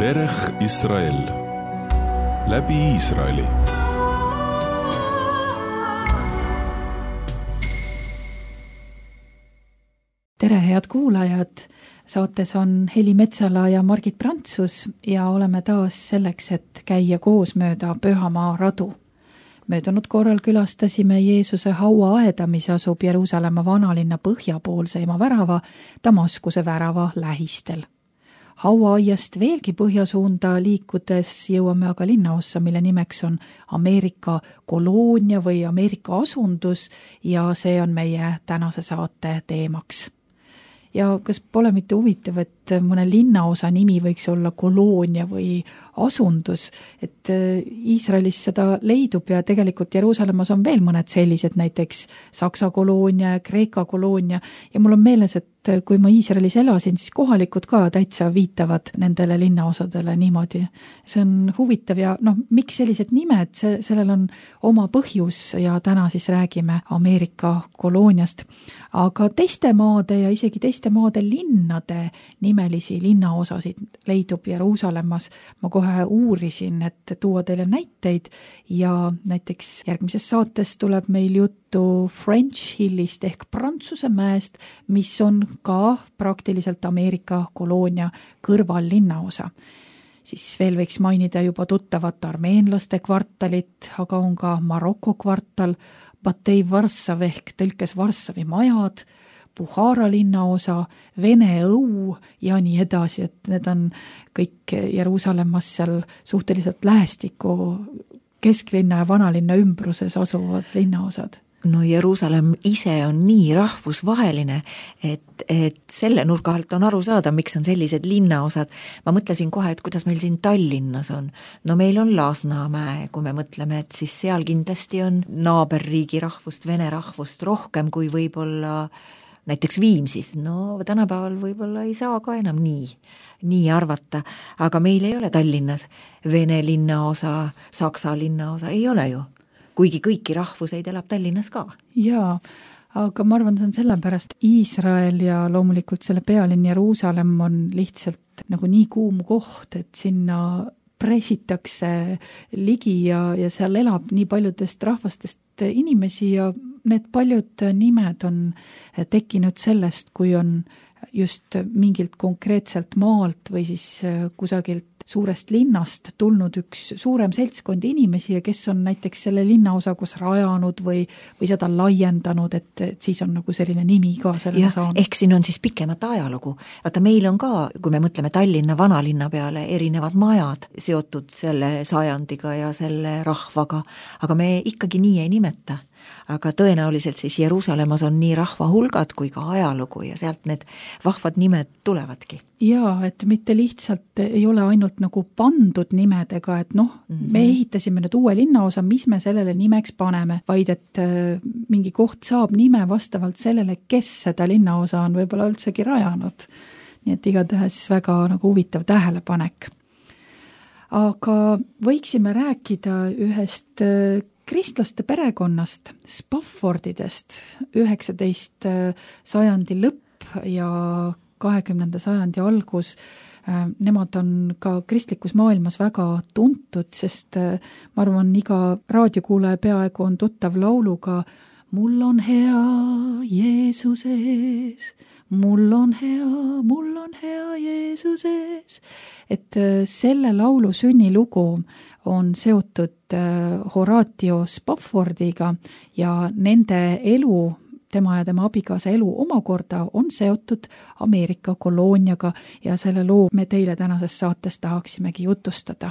Derech Israel läbi Iisraeli. Tere, head kuulajad! Saates on Heli Metsala ja Margit Prantsus ja oleme taas selleks, et käia koos mööda Pühamaa radu. Möödunud korral külastasime Jeesuse hauaaeda, mis asub Jeruusalemma vanalinna põhjapoolseima värava, Damaskuse värava lähistel. Hauaaiast veelgi põhjasuunda liikudes jõuame aga linnaossa, mille nimeks on Ameerika koloonia või Ameerika asundus ja see on meie tänase saate teemaks. Ja kas pole mitte huvitav, et mõne linnaosa nimi võiks olla koloonia või asundus, et Iisraelis seda leidub ja tegelikult Jeruusalemmas on veel mõned sellised, näiteks Saksa koloonia, Kreeka koloonia ja mul on meeles, et kui ma Iisraelis elasin, siis kohalikud ka täitsa viitavad nendele linnaosadele niimoodi. See on huvitav ja miks sellised nimed, sellel on oma põhjus ja täna siis räägime Ameerika kolooniast. Aga teiste maade ja isegi teiste maade linnade nimelisi linnaosasid leidub Jeruusalemmas. Ma kohe uurisin, et tuua teile näiteid ja näiteks järgmises saates tuleb meil juttu French Hillist ehk Prantsuse mäest, mis on ka praktiliselt Ameerika koloonia kõrval linnaosa. Siis veel võiks mainida juba tuttavat armeenlaste kvartalit, aga on ka Maroko kvartal, Batei Varssav ehk tõlkes Varssavi majad, Buhara linnaosa, Vene õu ja nii edasi, et need on kõik Jeruusalemmas seal suhteliselt lähestiku kesklinna ja vanalinna ümbruses asuvad linnaosad. No Jeruusalemm ise on nii rahvusvaheline, et selle nurga alt on aru saada, miks on sellised linnaosad. Ma mõtlesin kohe, et kuidas meil siin Tallinnas on. No meil on Lasnamäe, kui me mõtleme, et siis seal kindlasti on naaberriigi rahvust, vene rahvust rohkem kui võib-olla näiteks Viimsis. No tänapäeval võib-olla ei saa ka enam nii arvata, aga meil ei ole Tallinnas vene linnaosa, saksa linnaosa, ei ole ju. Kuigi kõiki rahvuseid elab Tallinnas ka. Jaa, aga ma arvan, see on sellepärast Iisrael ja loomulikult selle pealinn Jeruusalemm on lihtsalt nagu nii kuum koht, et sinna pressitakse ligi ja seal elab nii paljudest rahvastest inimesi ja need paljud nimed on tekkinud sellest, kui on just mingilt konkreetselt maalt või siis kusagilt suurest linnast tulnud üks suurem seltskond inimesi ja kes on näiteks selle linnaosa kus rajanud või seda laiendanud, et siis on nagu selline nimi ka selle saanud. Ehk siin on siis pikemat ajalugu. Vaata, meil on ka, kui me mõtleme Tallinna vanalinna peale, erinevad majad seotud selle sajandiga ja selle rahvaga, aga me ikkagi nii ei nimeta. Aga tõenäoliselt siis Jeruusalemmas on nii rahva hulgad kui ka ajalugu ja sealt need vahvad nimed tulevadki. Jaa, et mitte lihtsalt ei ole ainult nagu pandud nimedega, et me ehitasime nüüd uue linnaosa, mis me sellele nimeks paneme, vaid et mingi koht saab nime vastavalt sellele, kes seda linnaosa on võib-olla üldsegi rajanud. Nii et igatahes väga nagu huvitav tähelepanek. Aga võiksime rääkida ühest kristlaste perekonnast, Spaffordidest, 19. sajandi lõpp ja 20. sajandi algus. Nemad on ka kristlikus maailmas väga tuntud, sest ma arvan, iga raadiokuulaja peaaegu on tuttav lauluga Mul on hea Jeesuses, mul on hea Jeesuses. Et selle laulu sünnilugu on seotud Horatio Spaffordiga ja nende elu, tema ja tema abikaasa elu omakorda on seotud Ameerika kolooniaga ja selle loo me teile tänases saates tahaksimegi jutustada.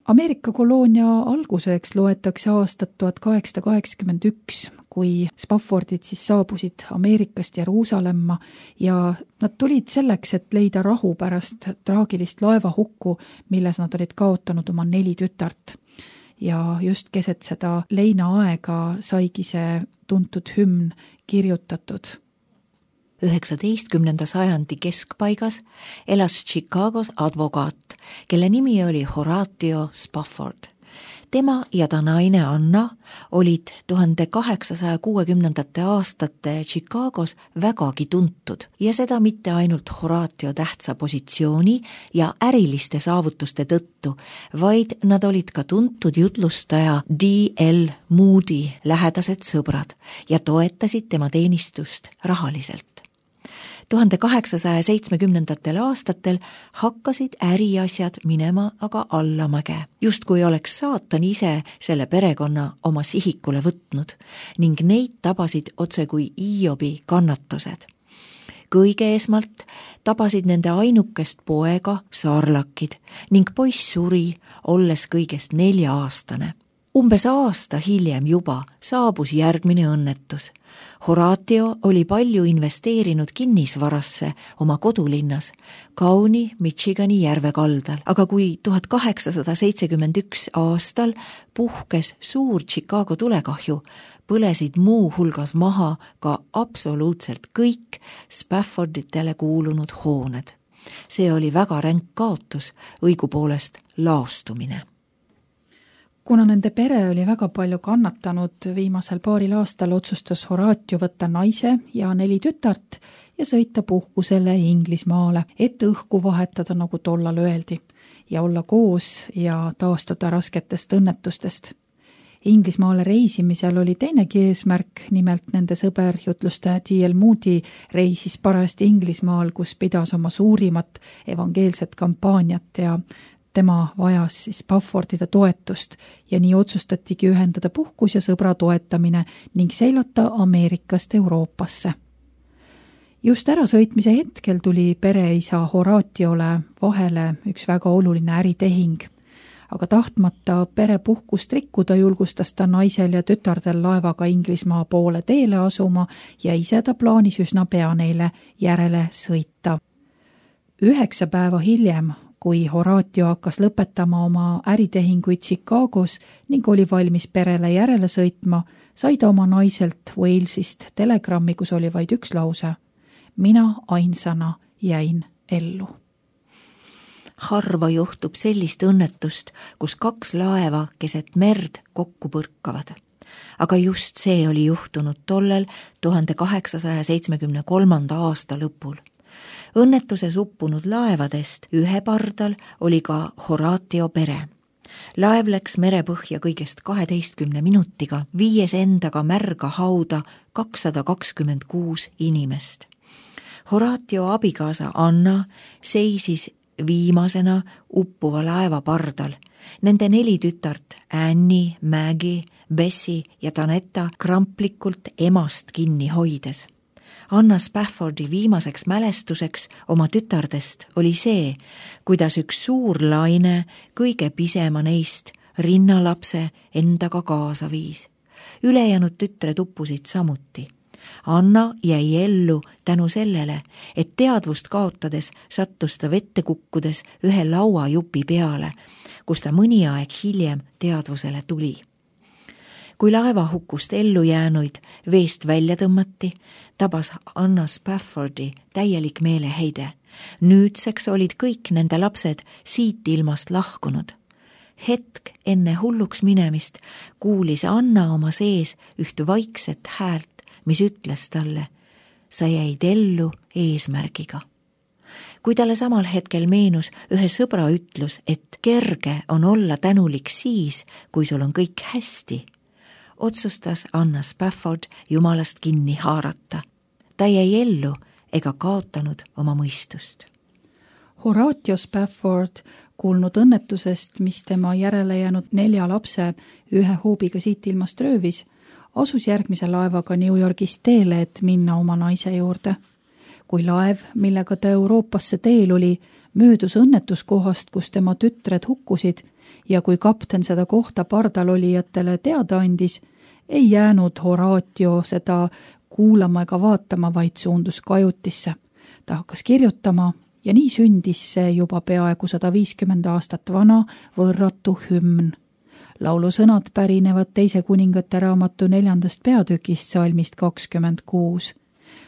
Ameerika koloonia alguseks loetakse aastat 1881, kui Spaffordid siis saabusid Ameerikast Jeruusalemma ja nad tulid selleks, et leida rahu pärast traagilist laevahukku, milles nad olid kaotanud oma 4 tütart. Ja just keset seda leinaaega saigi see tuntud hümn kirjutatud. 19. sajandi keskpaigas elas Chicagos advokaat, kelle nimi oli Horatio Spafford. Tema ja ta naine Anna olid 1860. aastate Chicagos vägagi tuntud ja seda mitte ainult Horatio tähtsa positsiooni ja äriliste saavutuste tõttu, vaid nad olid ka tuntud jutlustaja D.L. Moody lähedased sõbrad ja toetasid tema teenistust rahaliselt. 1870. aastatel hakkasid äriasjad minema aga allamäge, justkui oleks saatan ise selle perekonna oma sihikule võtnud ning neid tabasid otse kui Hiobi kannatused. Kõige esmalt tabasid nende ainukest poega saarlakid ning poiss suri, olles kõigest 4-aastane. Umbes aasta hiljem juba saabus järgmine õnnetus. Horatio oli palju investeerinud kinnisvarasse oma kodulinnas, kauni Michigani järve kaldal, aga kui 1871 aastal puhkes suur Chicago tulekahju, põlesid muu hulgas maha ka absoluutselt kõik Spafforditele kuulunud hooned. See oli väga ränk kaotus, õigupoolest laostumine. Kuna nende pere oli väga palju kannatanud viimasel paaril aastal, otsustas Horatio võtta naise ja 4 tütart ja sõita puhkusele Inglismaale, et õhku vahetada, nagu tollal öeldi, ja olla koos ja taastuda rasketest õnnetustest. Inglismaale reisimisel oli teinegi eesmärk, nimelt nende sõber jutlustaja D.L. Moody reisis parajasti Inglismaal, kus pidas oma suurimat evangeelset kampaaniat ja tema vajas siis Spaffordide toetust ja nii otsustatigi ühendada puhkus ja sõbra toetamine ning seilata Ameerikast Euroopasse. Just ärasõitmise hetkel tuli pereisa Horatiole vahele üks väga oluline äritehing, aga tahtmata perepuhkust rikkuda, julgustas ta naisel ja tütardel laevaga Inglismaa poole teele asuma ja ise ta plaanis üsna pea neile järele sõita. 9 päeva hiljem, kui Horatio hakkas lõpetama oma äritehinguid Chicagos ning oli valmis perele järele sõitma, sai ta oma naiselt Walesist telegrammi, kus oli vaid üks lause: mina ainsana jäin ellu. Harva juhtub sellist õnnetust, kus 2 laeva keset merd kokku põrkavad. Aga just see oli juhtunud tollel 1873. aasta lõpul. Õnnetuses uppunud laevadest ühe pardal oli ka Horatio pere. Laev läks merepõhja kõigest 12 minutiga, viies endaga märga hauda 226 inimest. Horatio abikaasa Anna seisis viimasena uppuva laeva pardal. Nende 4 tütart Annie, Maggie, Bessie ja Tanetta kramplikult emast kinni hoides. Anna Spaffordi viimaseks mälestuseks oma tütardest oli see, kuidas üks suur laine kõige pisema neist rinnalapse endaga kaasa viis. Ülejäänud tütred uppusid samuti. Anna jäi ellu tänu sellele, et teadvust kaotades sattus ta vette kukkudes ühe lauajupi peale, kus ta mõni aeg hiljem teadvusele tuli. Kui laevahukust ellu jäänuid veest välja tõmmati, tabas Anna Spaffordi täielik meeleheide. Nüüdseks olid kõik nende lapsed siit ilmast lahkunud. Hetk enne hulluks minemist kuulis Anna oma sees üht vaikset häält, mis ütles talle: sa jäid ellu eesmärgiga. Kui talle samal hetkel meenus ühe sõbra ütlus, et kerge on olla tänulik siis, kui sul on kõik hästi, otsustas Anna Spafford jumalast kinni haarata. Ta jäi ellu ega kaotanud oma mõistust. Horatio Spafford, kuulnud õnnetusest, mis tema järele jäänud 4 lapse ühe hoobiga siit ilmast röövis, asus järgmise laevaga New Yorgist teele, et minna oma naise juurde. Kui laev, millega ta Euroopasse teel oli, möödus õnnetuskohast, kus tema tütred hukkusid, ja kui kapten seda kohta pardal olijatele teada andis, ei jäänud Horatio seda kuulama ega vaatama, vaid suundus kajutisse. Ta hakkas kirjutama ja nii sündis see juba peaaegu 150 aastat vana võrratu hümn. Laulu sõnad pärinevad 2 kuningate raamatu 4. peatükist salmist 26.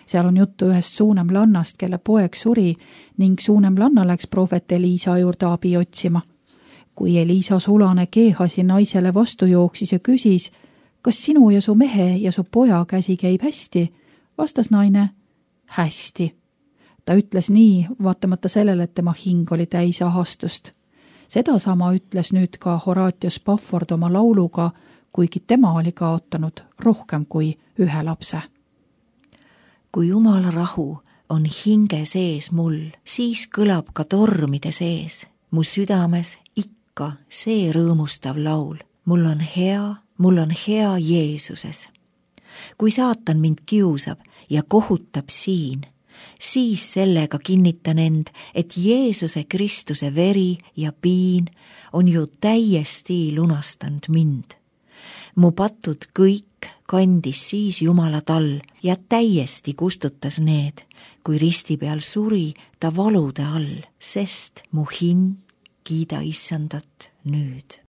Seal on juttu ühest Suunemlannast, kelle poeg suri ning Suunemlanna läks prohvet Eliisa juurde abi otsima. kui Eliisa sulane Geehasi naisele vastu jooksis ja küsis, kas sinu ja su mehe ja su poja käsi käib hästi, vastas naine, hästi. Ta ütles nii, vaatamata sellele, et tema hing oli täis ahastust. Sedasama ütles nüüd ka Horatio Spafford oma lauluga, kuigi tema oli kaotanud rohkem kui ühe lapse. Kui Jumala rahu on hinge sees mul, siis kõlab ka tormide sees. Mu südames ikka see rõõmustav laul. Mul on hea Jeesuses. Kui saatan mind kiusab ja kohutab siin, siis sellega kinnitan end, et Jeesuse Kristuse veri ja piin on ju täiesti lunastanud mind. Mu patud kõik kandis siis Jumala tall ja täiesti kustutas need, kui risti peal suri ta valude all, sest mu hing kiida Issandat nüüd.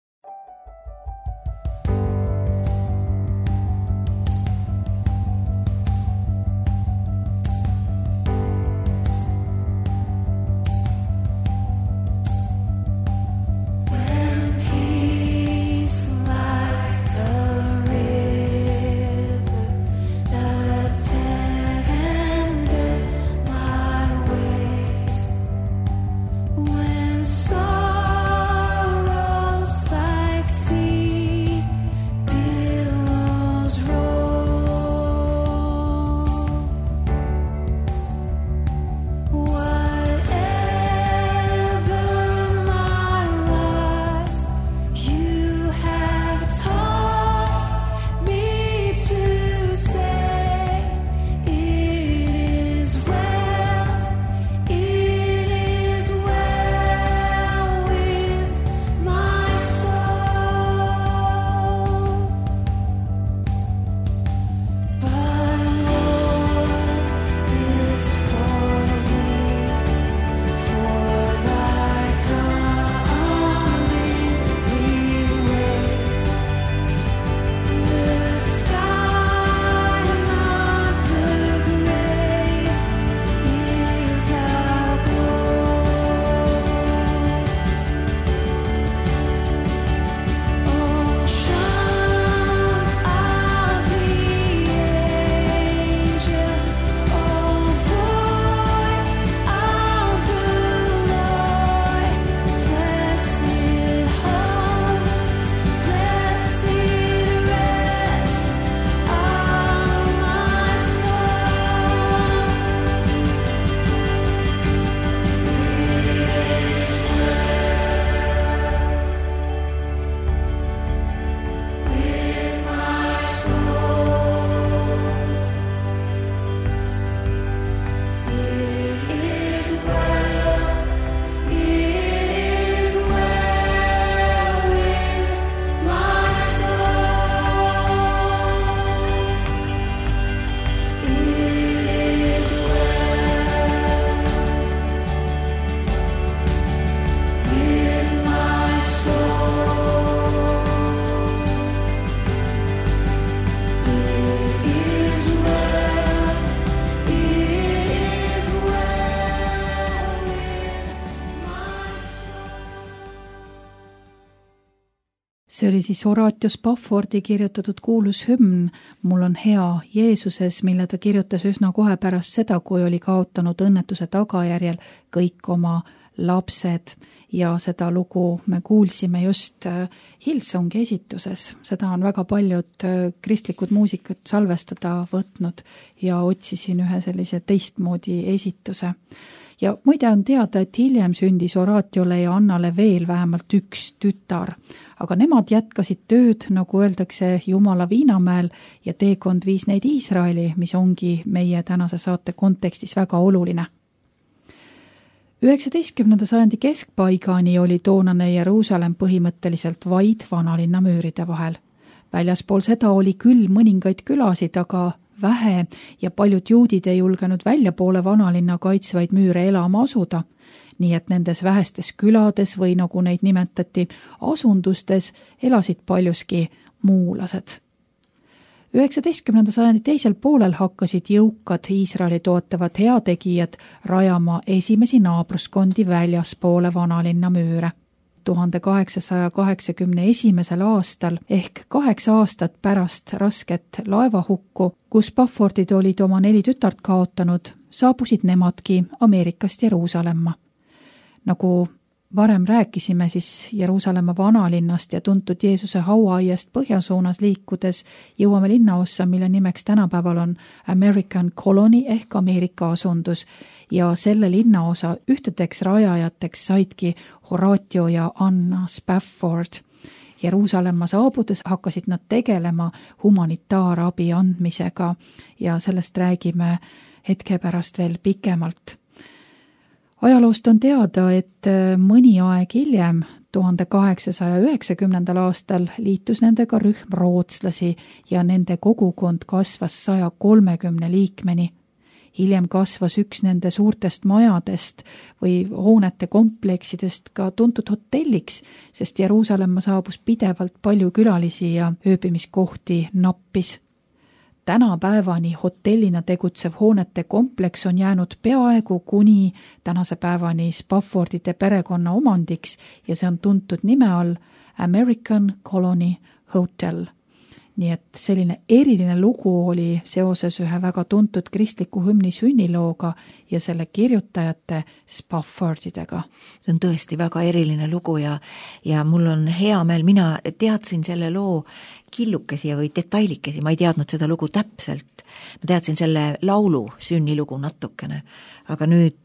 See oli siis Horatio Spaffordi kirjutatud kuulus hümn Mul on hea Jeesuses, mille ta kirjutas üsna kohe pärast seda, kui oli kaotanud õnnetuse tagajärjel kõik oma lapsed ja seda lugu me kuulsime just Hillsongi esituses. Seda on väga paljud kristlikud muusikud salvestada võtnud ja otsisin ühe sellise teistmoodi esituse. Ja muide on teada, et hiljem sündis Horatiole ja Annale veel vähemalt üks tütar, aga nemad jätkasid tööd, nagu öeldakse, Jumala Viinamäel ja teekond viis neid Iisraeli, mis ongi meie tänase saate kontekstis väga oluline. 19. sajandi keskpaigani oli toonane Jeruusalemm põhimõtteliselt vaid vanalinna müüride vahel. Väljaspool seda oli küll mõningaid külasid, aga vähe ja paljud juudid ei julgenud väljapoole vanalinna kaitsvaid müüre elama asuda, nii et nendes vähestes külades või nagu neid nimetati asundustes elasid paljuski muulased. 19. sajandi teisel poolel hakkasid jõukad Iisraeli toetavad heategijad rajama esimesi naabruskondi väljaspoole vanalinna müüre. 1881. aastal ehk 8 aastat pärast rasket laevahukku, kus Spaffordid olid oma 4 tütart kaotanud, saabusid nemadki Ameerikast Jeruusalemma. Nagu varem rääkisime, siis Jeruusalemma vanalinnast ja tuntud Jeesuse hauaaiast põhjasuunas liikudes jõuame linnaossa, mille nimeks tänapäeval on American Colony ehk Ameerika asundus ja selle linnaosa ühtedeks rajajateks saidki Horatio ja Anna Spafford. Jeruusalemma saabudes hakkasid nad tegelema humanitaarabi andmisega ja sellest räägime hetke pärast veel pikemalt. Ajaloost on teada, et mõni aeg hiljem, 1890. aastal liitus nendega rühm rootslasi ja nende kogukond kasvas 130 liikmeni. Hiljem kasvas üks nende suurtest majadest või hoonete kompleksidest ka tuntud hotelliks, sest Jeruusalemma saabus pidevalt palju külalisi ja ööbimiskohti nappis. Tänapäevani hotellina tegutsev hoonete kompleks on jäänud peaaegu kuni tänase päevani Spaffordide perekonna omandiks ja see on tuntud nime all American Colony Hotel. Nii et selline eriline lugu oli seoses ühe väga tuntud kristliku hümni sünnilooga ja selle kirjutajate Spaffordidega. See on tõesti väga eriline lugu ja mul on hea meel, mina teadsin selle loo killukesi või detailikesi, ma ei teadnud seda lugu täpselt. Ma teadsin selle laulu sünnilugu natukene, aga nüüd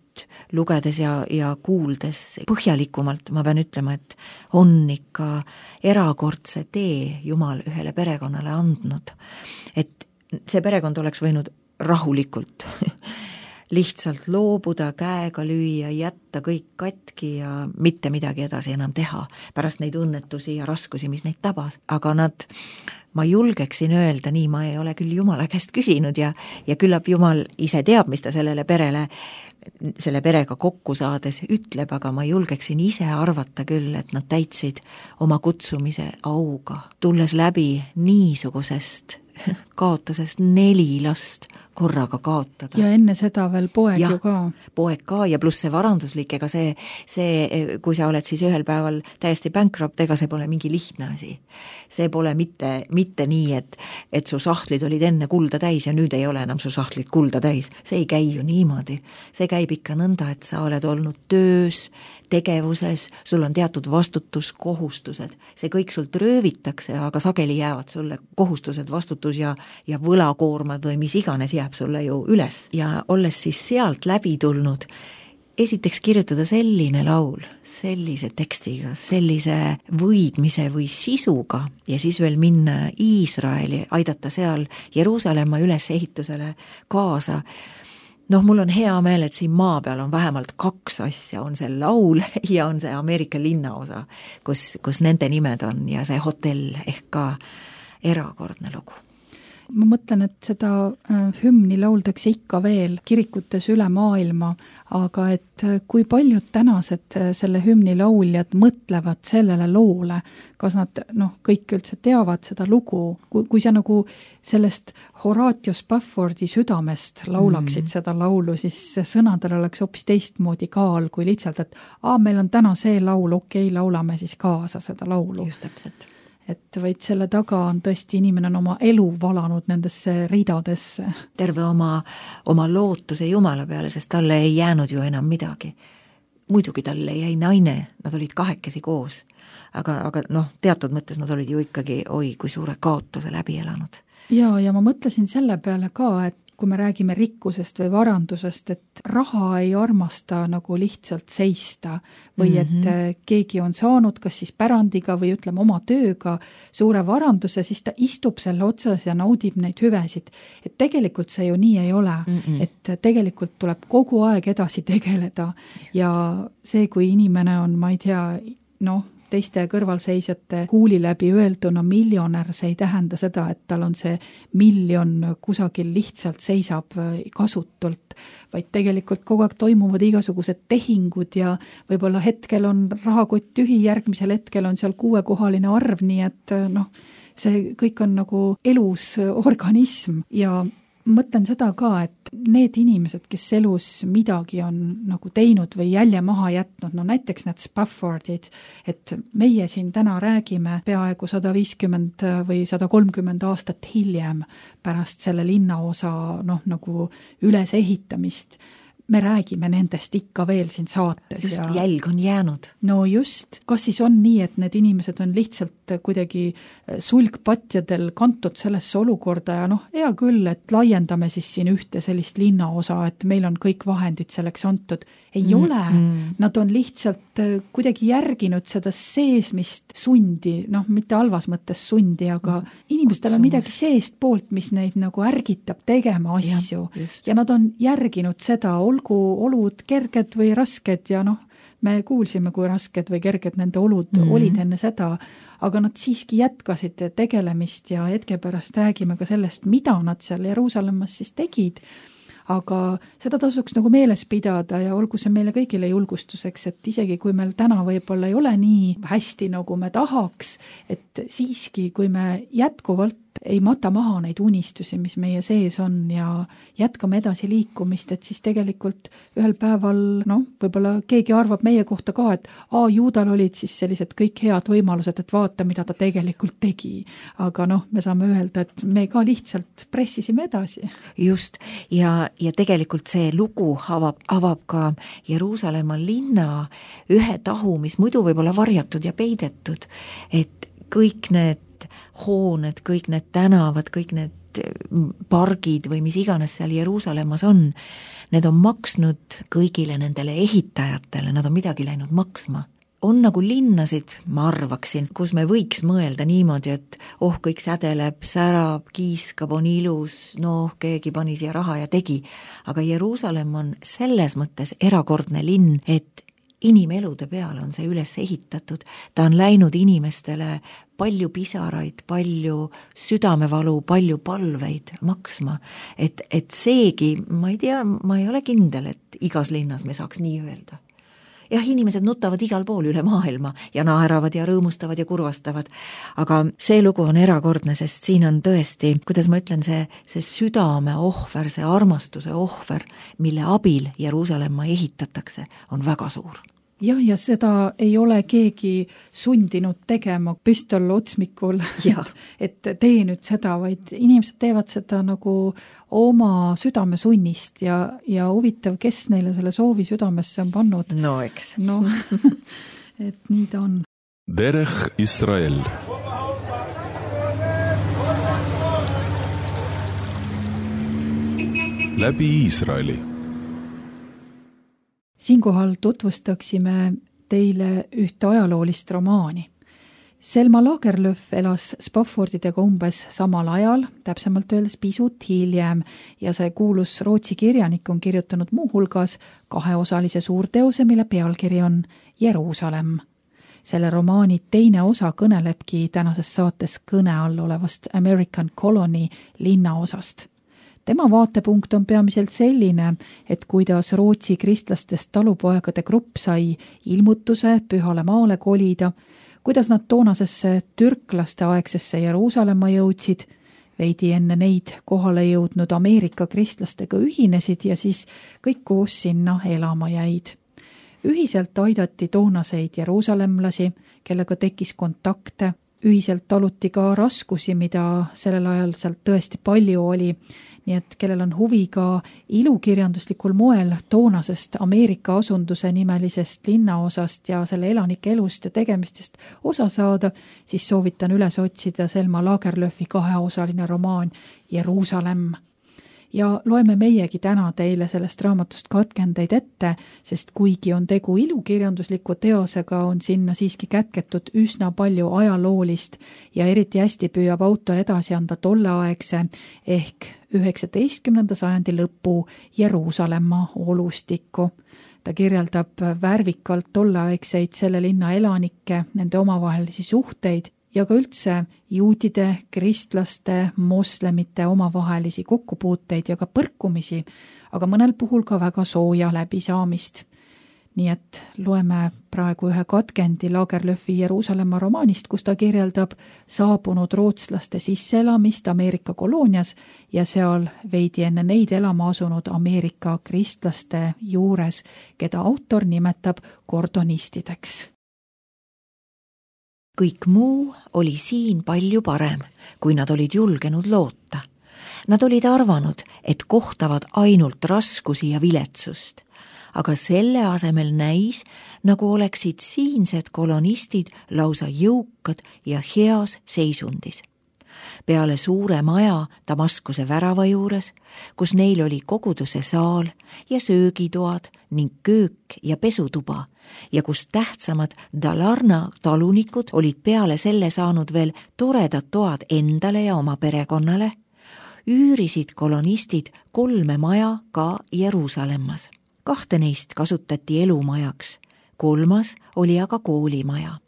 lugedes ja kuuldes põhjalikumalt ma pean ütlema, et on ikka erakordse tee Jumal ühele perekonnale andnud. Et see perekond oleks võinud rahulikult lihtsalt loobuda, käega lüüa, jätta kõik katki ja mitte midagi edasi enam teha pärast neid õnnetusi ja raskusi, mis neid tabas. Aga ma julgeksin öelda nii, ma ei ole küll Jumala käest küsinud ja küllap Jumal ise teab, mis ta selle perega kokku saades ütleb, aga ma julgeksin ise arvata küll, et nad täitsid oma kutsumise auga, tulles läbi niisugusest kaotusest 4 last korraga kaotada. Ja enne seda veel poeg ju ka. Poeg ka ja pluss see varanduslik, ega see, kui sa oled siis ühel päeval täiesti bankrupt, ega see pole mingi lihtne asi. See pole mitte nii, et su sahtlid olid enne kulda täis ja nüüd ei ole enam su sahtlid kulda täis. See ei käi ju niimoodi. See käib ikka nõnda, et sa oled olnud töös, tegevuses, sul on teatud vastutuskohustused. See kõik sult röövitakse, aga sageli jäävad sulle kohustused, vastutus ja võlakoormad või mis iganes jääb sulle ju üles. Ja olles siis sealt läbi tulnud, esiteks kirjutada selline laul, sellise tekstiga, sellise võidmise või sisuga ja siis veel minna Iisraeli, aidata seal Jeruusalemma ülesehitusele kaasa. Mul on hea meel, et siin maa peal on vähemalt 2 asja, on see laul ja on see Ameerika linnaosa, kus nende nimed on ja see hotell ehk ka erakordne lugu. Ma mõtlen, et seda hümni lauldakse ikka veel kirikutes üle maailma, aga et kui paljud tänased selle hümni lauljad mõtlevad sellele loole, kas nad kõik üldse teavad seda lugu, kui sa nagu sellest Horatio Spaffordi südamest laulaksid seda laulu, siis sõnadel oleks hoopis teistmoodi kaal kui lihtsalt, et meil on täna see laul, okei, laulame siis kaasa seda laulu. Just täpselt. Et vaid selle taga on tõesti inimene on oma elu valanud nendesse ridadesse. Terve oma lootuse Jumala peale, sest talle ei jäänud ju enam midagi. Muidugi talle jäi naine, nad olid 2 koos, aga teatud mõttes nad olid ju ikkagi, kui suure kaotuse läbi elanud. Ja ma mõtlesin selle peale ka, et kui me räägime rikkusest või varandusest, et raha ei armasta nagu lihtsalt seista või et keegi on saanud kas siis pärandiga või ütleme oma tööga suure varanduse, siis ta istub selle otsas ja naudib neid hüvesid. Et tegelikult see ju nii ei ole, et tegelikult tuleb kogu aeg edasi tegeleda ja see, kui inimene on, ma ei tea, teiste kõrvalseisjate huuli läbi öelduna miljonär, see ei tähenda seda, et tal on see miljon kusagil lihtsalt seisab kasutult, vaid tegelikult kogu aeg toimuvad igasugused tehingud ja võib-olla hetkel on rahakott tühi, järgmisel hetkel on seal 6-kohaline arv, nii et see kõik on nagu elus organism ja mõtlen seda ka, et need inimesed, kes elus midagi on nagu teinud või jälje maha jätnud, no näiteks need Spaffordid, et meie siin täna räägime peaaegu 150 või 130 aastat hiljem pärast selle linnaosa nagu ülesehitamist. Me räägime nendest ikka veel siin saates. Just, jälg on jäänud. No just, kas siis on nii, et need inimesed on lihtsalt kuidagi sulgpatjadel kantud sellesse olukorda ja hea küll, et laiendame siis siin ühte sellist linnaosa, et meil on kõik vahendid selleks antud. Ei ole, nad on lihtsalt kuidagi järginud seda seesmist sundi, mitte halvas mõttes sundi, aga inimestel on midagi seest poolt, mis neid nagu ärgitab tegema asju ja nad on järginud seda, olgu olud kerged või rasked ja me kuulsime, kui rasked või kerged nende olud olid enne seda, aga nad siiski jätkasid tegelemist ja hetke pärast räägime ka sellest, mida nad seal Jeruusalemmas siis tegid. Aga seda tasuks nagu meeles pidada ja olgu see meile kõigile julgustuseks, et isegi kui meil täna võib-olla ei ole nii hästi, nagu me tahaks, et siiski, kui me jätkuvalt ei mata maha neid unistusi, mis meie sees on ja jätkame edasi liikumist, et siis tegelikult ühel päeval, võib-olla keegi arvab meie kohta ka, et Juudal olid siis sellised kõik head võimalused, et vaata, mida ta tegelikult tegi. Aga me saame öelda, et me ka lihtsalt pressisime edasi. Just, ja tegelikult see lugu avab ka Jeruusalemma linna ühe tahu, mis muidu võib olla varjatud ja peidetud, et kõik need hooned, kõik need tänavad, kõik need pargid või mis iganes seal Jeruusalemmas on, need on maksnud kõigile nendele ehitajatele, nad on midagi läinud maksma. On nagu linnasid, ma arvaksin, kus me võiks mõelda niimoodi, et kõik sädeleb, särab, kiiskab, on ilus, keegi pani siia raha ja tegi. Aga Jeruusalemm on selles mõttes erakordne linn, et inimelude peale on see üles ehitatud, ta on läinud inimestele palju pisaraid, palju südamevalu, palju palveid maksma, et seegi, ma ei tea, ma ei ole kindel, et igas linnas me saaks nii öelda. Jah, inimesed nutavad igal pool üle maailma ja naeravad ja rõõmustavad ja kurvastavad, aga see lugu on erakordne, sest siin on tõesti, kuidas ma ütlen, see südame ohver, see armastuse ohver, mille abil Jeruusalemma ehitatakse, on väga suur. Ja seda ei ole keegi sundinud tegema püstol otsmikul, et tee nüüd seda, vaid inimesed teevad seda nagu oma südamesunnist ja huvitav, kes neile selle soovi südamesse on pannud. No eks. Et nii ta on. Derech Israel. Läbi Iisraeli. Siinkohal tutvustaksime teile ühte ajaloolist romaani. Selma Lagerlöf elas Spaffordidega umbes samal ajal, täpsemalt öeldes pisut hiljem, ja see kuulus Rootsi kirjanik on kirjutanud muuhulgas 2-osalise suurteose, mille pealkiri on Jeruusalemm. Selle romaani teine osa kõnelebki tänases saates kõne all olevast American Colony linnaosast. Tema vaatepunkt on peamiselt selline, et kuidas Rootsi kristlastest talupoegade grupp sai ilmutuse Pühale maale kolida, kuidas nad toonasesse türklaste aegsesse Jeruusalemma jõudsid, veidi enne neid kohale jõudnud Ameerika kristlastega ühinesid ja siis kõik koos sinna elama jäid. Ühiselt aidati toonaseid jeruusalemlasi, kellega tekkis kontakte, ühiselt taluti ka raskusi, mida sellel ajal sealt tõesti palju oli, nii et kellel on huvi ka ilukirjanduslikul moel toonasest Ameerika asunduse nimelisest linnaosast ja selle elanike elust ja tegemistest osa saada, siis soovitan üles otsida Selma Lagerlöfi 2-osaline romaan Jeruusalemm. Ja loeme meiegi täna teile sellest raamatust katkendeid ette, sest kuigi on tegu ilukirjandusliku teosega, on sinna siiski kätketud üsna palju ajaloolist ja eriti hästi püüab autor edasi anda tolleaegse ehk 19. sajandi lõpu Jeruusalemma olustikku. Ta kirjeldab värvikalt tolleaegseid selle linna elanikke, nende omavahelisi suhteid ja ka üldse juutide, kristlaste, moslemite omavahelisi kokkupuuteid ja ka põrkumisi, aga mõnel puhul ka väga sooja läbisaamist. nii et loeme praegu ühe katkendi Lagerlöfi Jeruusalemma romaanist, kus ta kirjeldab saabunud rootslaste sisseelamist Ameerika koloonias ja seal veidi enne neid elama asunud Ameerika kristlaste juures, keda autor nimetab kordonistideks. Kõik muu oli siin palju parem, kui nad olid julgenud loota. Nad olid arvanud, et kohtavad ainult raskusi ja viletsust, aga selle asemel näis, nagu oleksid siinsed kolonistid lausa jõukad ja heas seisundis. Peale suure maja Damaskuse värava juures, kus neil oli koguduse saal ja söögitoad ning köök ja pesutuba ja kus tähtsamad Dalarna talunikud olid peale selle saanud veel toredad toad endale ja oma perekonnale, üürisid kolonistid 3 maja ka Jeruusalemmas. 2 neist kasutati elumajaks, 3. oli aga koolimaja.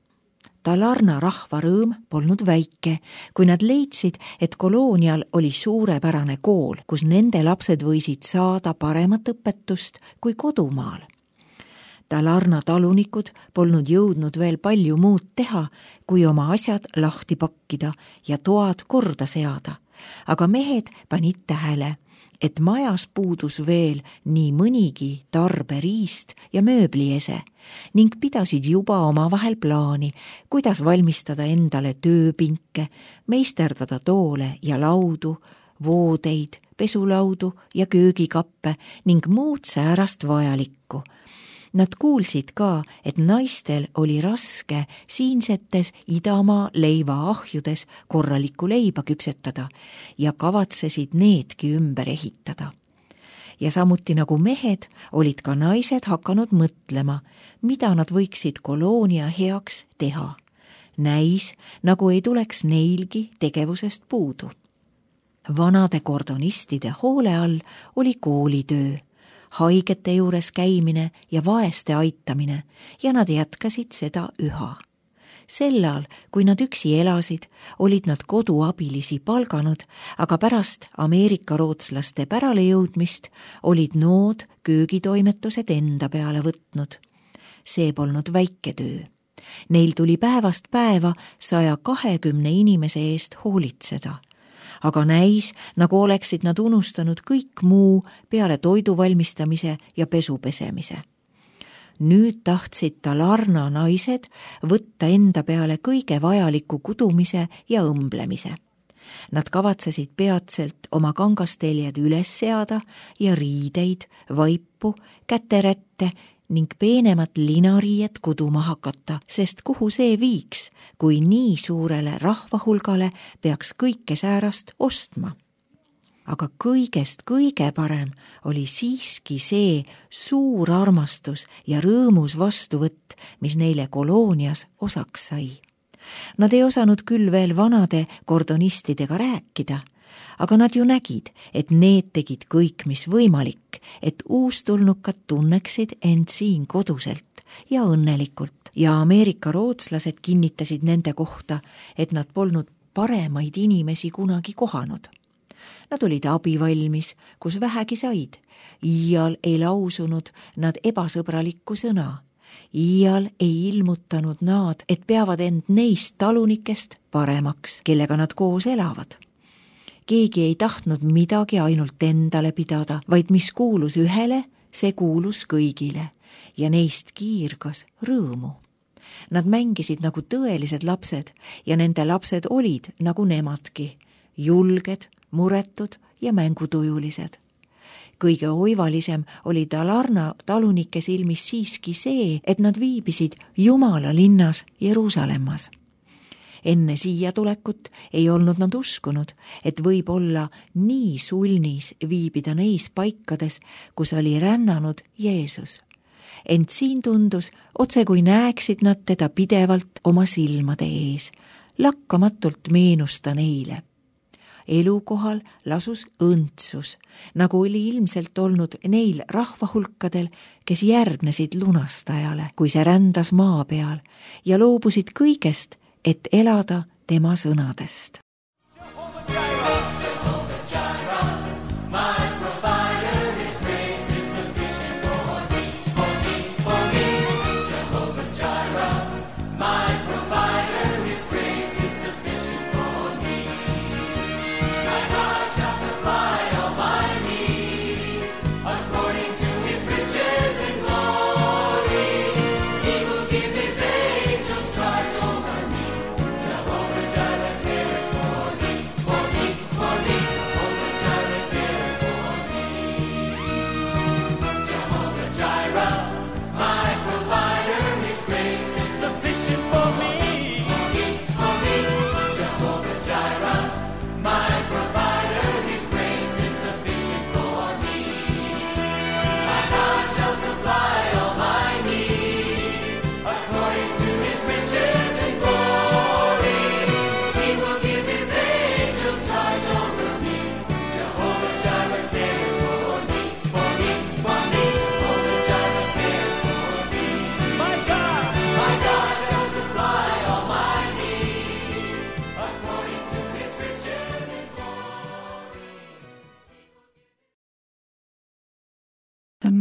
Dalarna rahva rõõm polnud väike, kui nad leidsid, et koloonial oli suurepärane kool, kus nende lapsed võisid saada paremat õpetust kui kodumaal. Dalarna talunikud polnud jõudnud veel palju muud teha, kui oma asjad lahti pakkida ja toad korda seada, aga mehed panid tähele, et majas puudus veel nii mõnigi tarberiist ja mööbliese ning pidasid juba omavahel plaani, kuidas valmistada endale tööpinke, meisterdada toole ja laudu, voodeid, pesulaudu ja köögikappe ning muud säärast vajalikku. Nad kuulsid ka, et naistel oli raske siinsetes Idamaa leivaahjudes korralikku leiba küpsetada ja kavatsesid needki ümber ehitada. Ja samuti nagu mehed, olid ka naised hakanud mõtlema, mida nad võiksid koloonia heaks teha. Näis, nagu ei tuleks neilgi tegevusest puudu. Vanade kordonistide hoole all oli koolitöö, haigete juures käimine ja vaeste aitamine ja nad jätkasid seda üha. Sellal, kui nad üksi elasid, olid nad koduabilisi palganud, aga pärast Ameerika rootslaste pärale jõudmist olid nood köögitoimetused enda peale võtnud. See polnud väike töö. Neil tuli päevast päeva 120 inimese eest hoolitseda. Aga näis, nagu oleksid nad unustanud kõik muu peale toidu valmistamise ja pesu pesemise. Nüüd tahtsid Dalarna naised võtta enda peale kõige vajaliku kudumise ja õmblemise. Nad kavatsesid peatselt oma kangasteljed üles seada ja riideid, vaipu, käterätte ning peenemat linariiet kuduma hakata, sest kuhu see viiks, kui nii suurele rahvahulgale peaks kõike säärast ostma. Aga kõigest kõige parem oli siiski see suur armastus ja rõõmus vastuvõtt, mis neile koloonias osaks sai. Nad ei osanud küll veel vanade kordonistidega rääkida, aga nad ju nägid, et need tegid kõik, mis võimalik, et uustulnukad tunneksid end siin koduselt ja õnnelikult ja Ameerika rootslased kinnitasid nende kohta, et nad polnud paremaid inimesi kunagi kohanud. Nad olid abivalmis, kus vähegi said. Iial ei lausunud nad ebasõbralikku sõna. Iial ei ilmutanud nad, et peavad end neist talunikest paremaks, kellega nad koos elavad. Keegi ei tahtnud midagi ainult endale pidada, vaid mis kuulus ühele, see kuulus kõigile ja neist kiirgas rõõmu. Nad mängisid nagu tõelised lapsed ja nende lapsed olid nagu nemadki, julged, muretud ja mängutujulised. Kõige oivalisem oli Dalarna talunike silmis siiski see, et nad viibisid Jumala linnas Jeruusalemmas. Enne siia tulekut ei olnud nad uskunud, et võib olla nii sulnis viibida neis paikades, kus oli rännanud Jeesus. Ent siin tundus, otse kui näeksid nad teda pidevalt oma silmade ees, lakkamatult meenusta neile. Elukohal lasus õndsus, nagu oli ilmselt olnud neil rahvahulkadel, kes järgnesid lunastajale, kui see rändas maa peal ja loobusid kõigest, et elada tema sõnadest.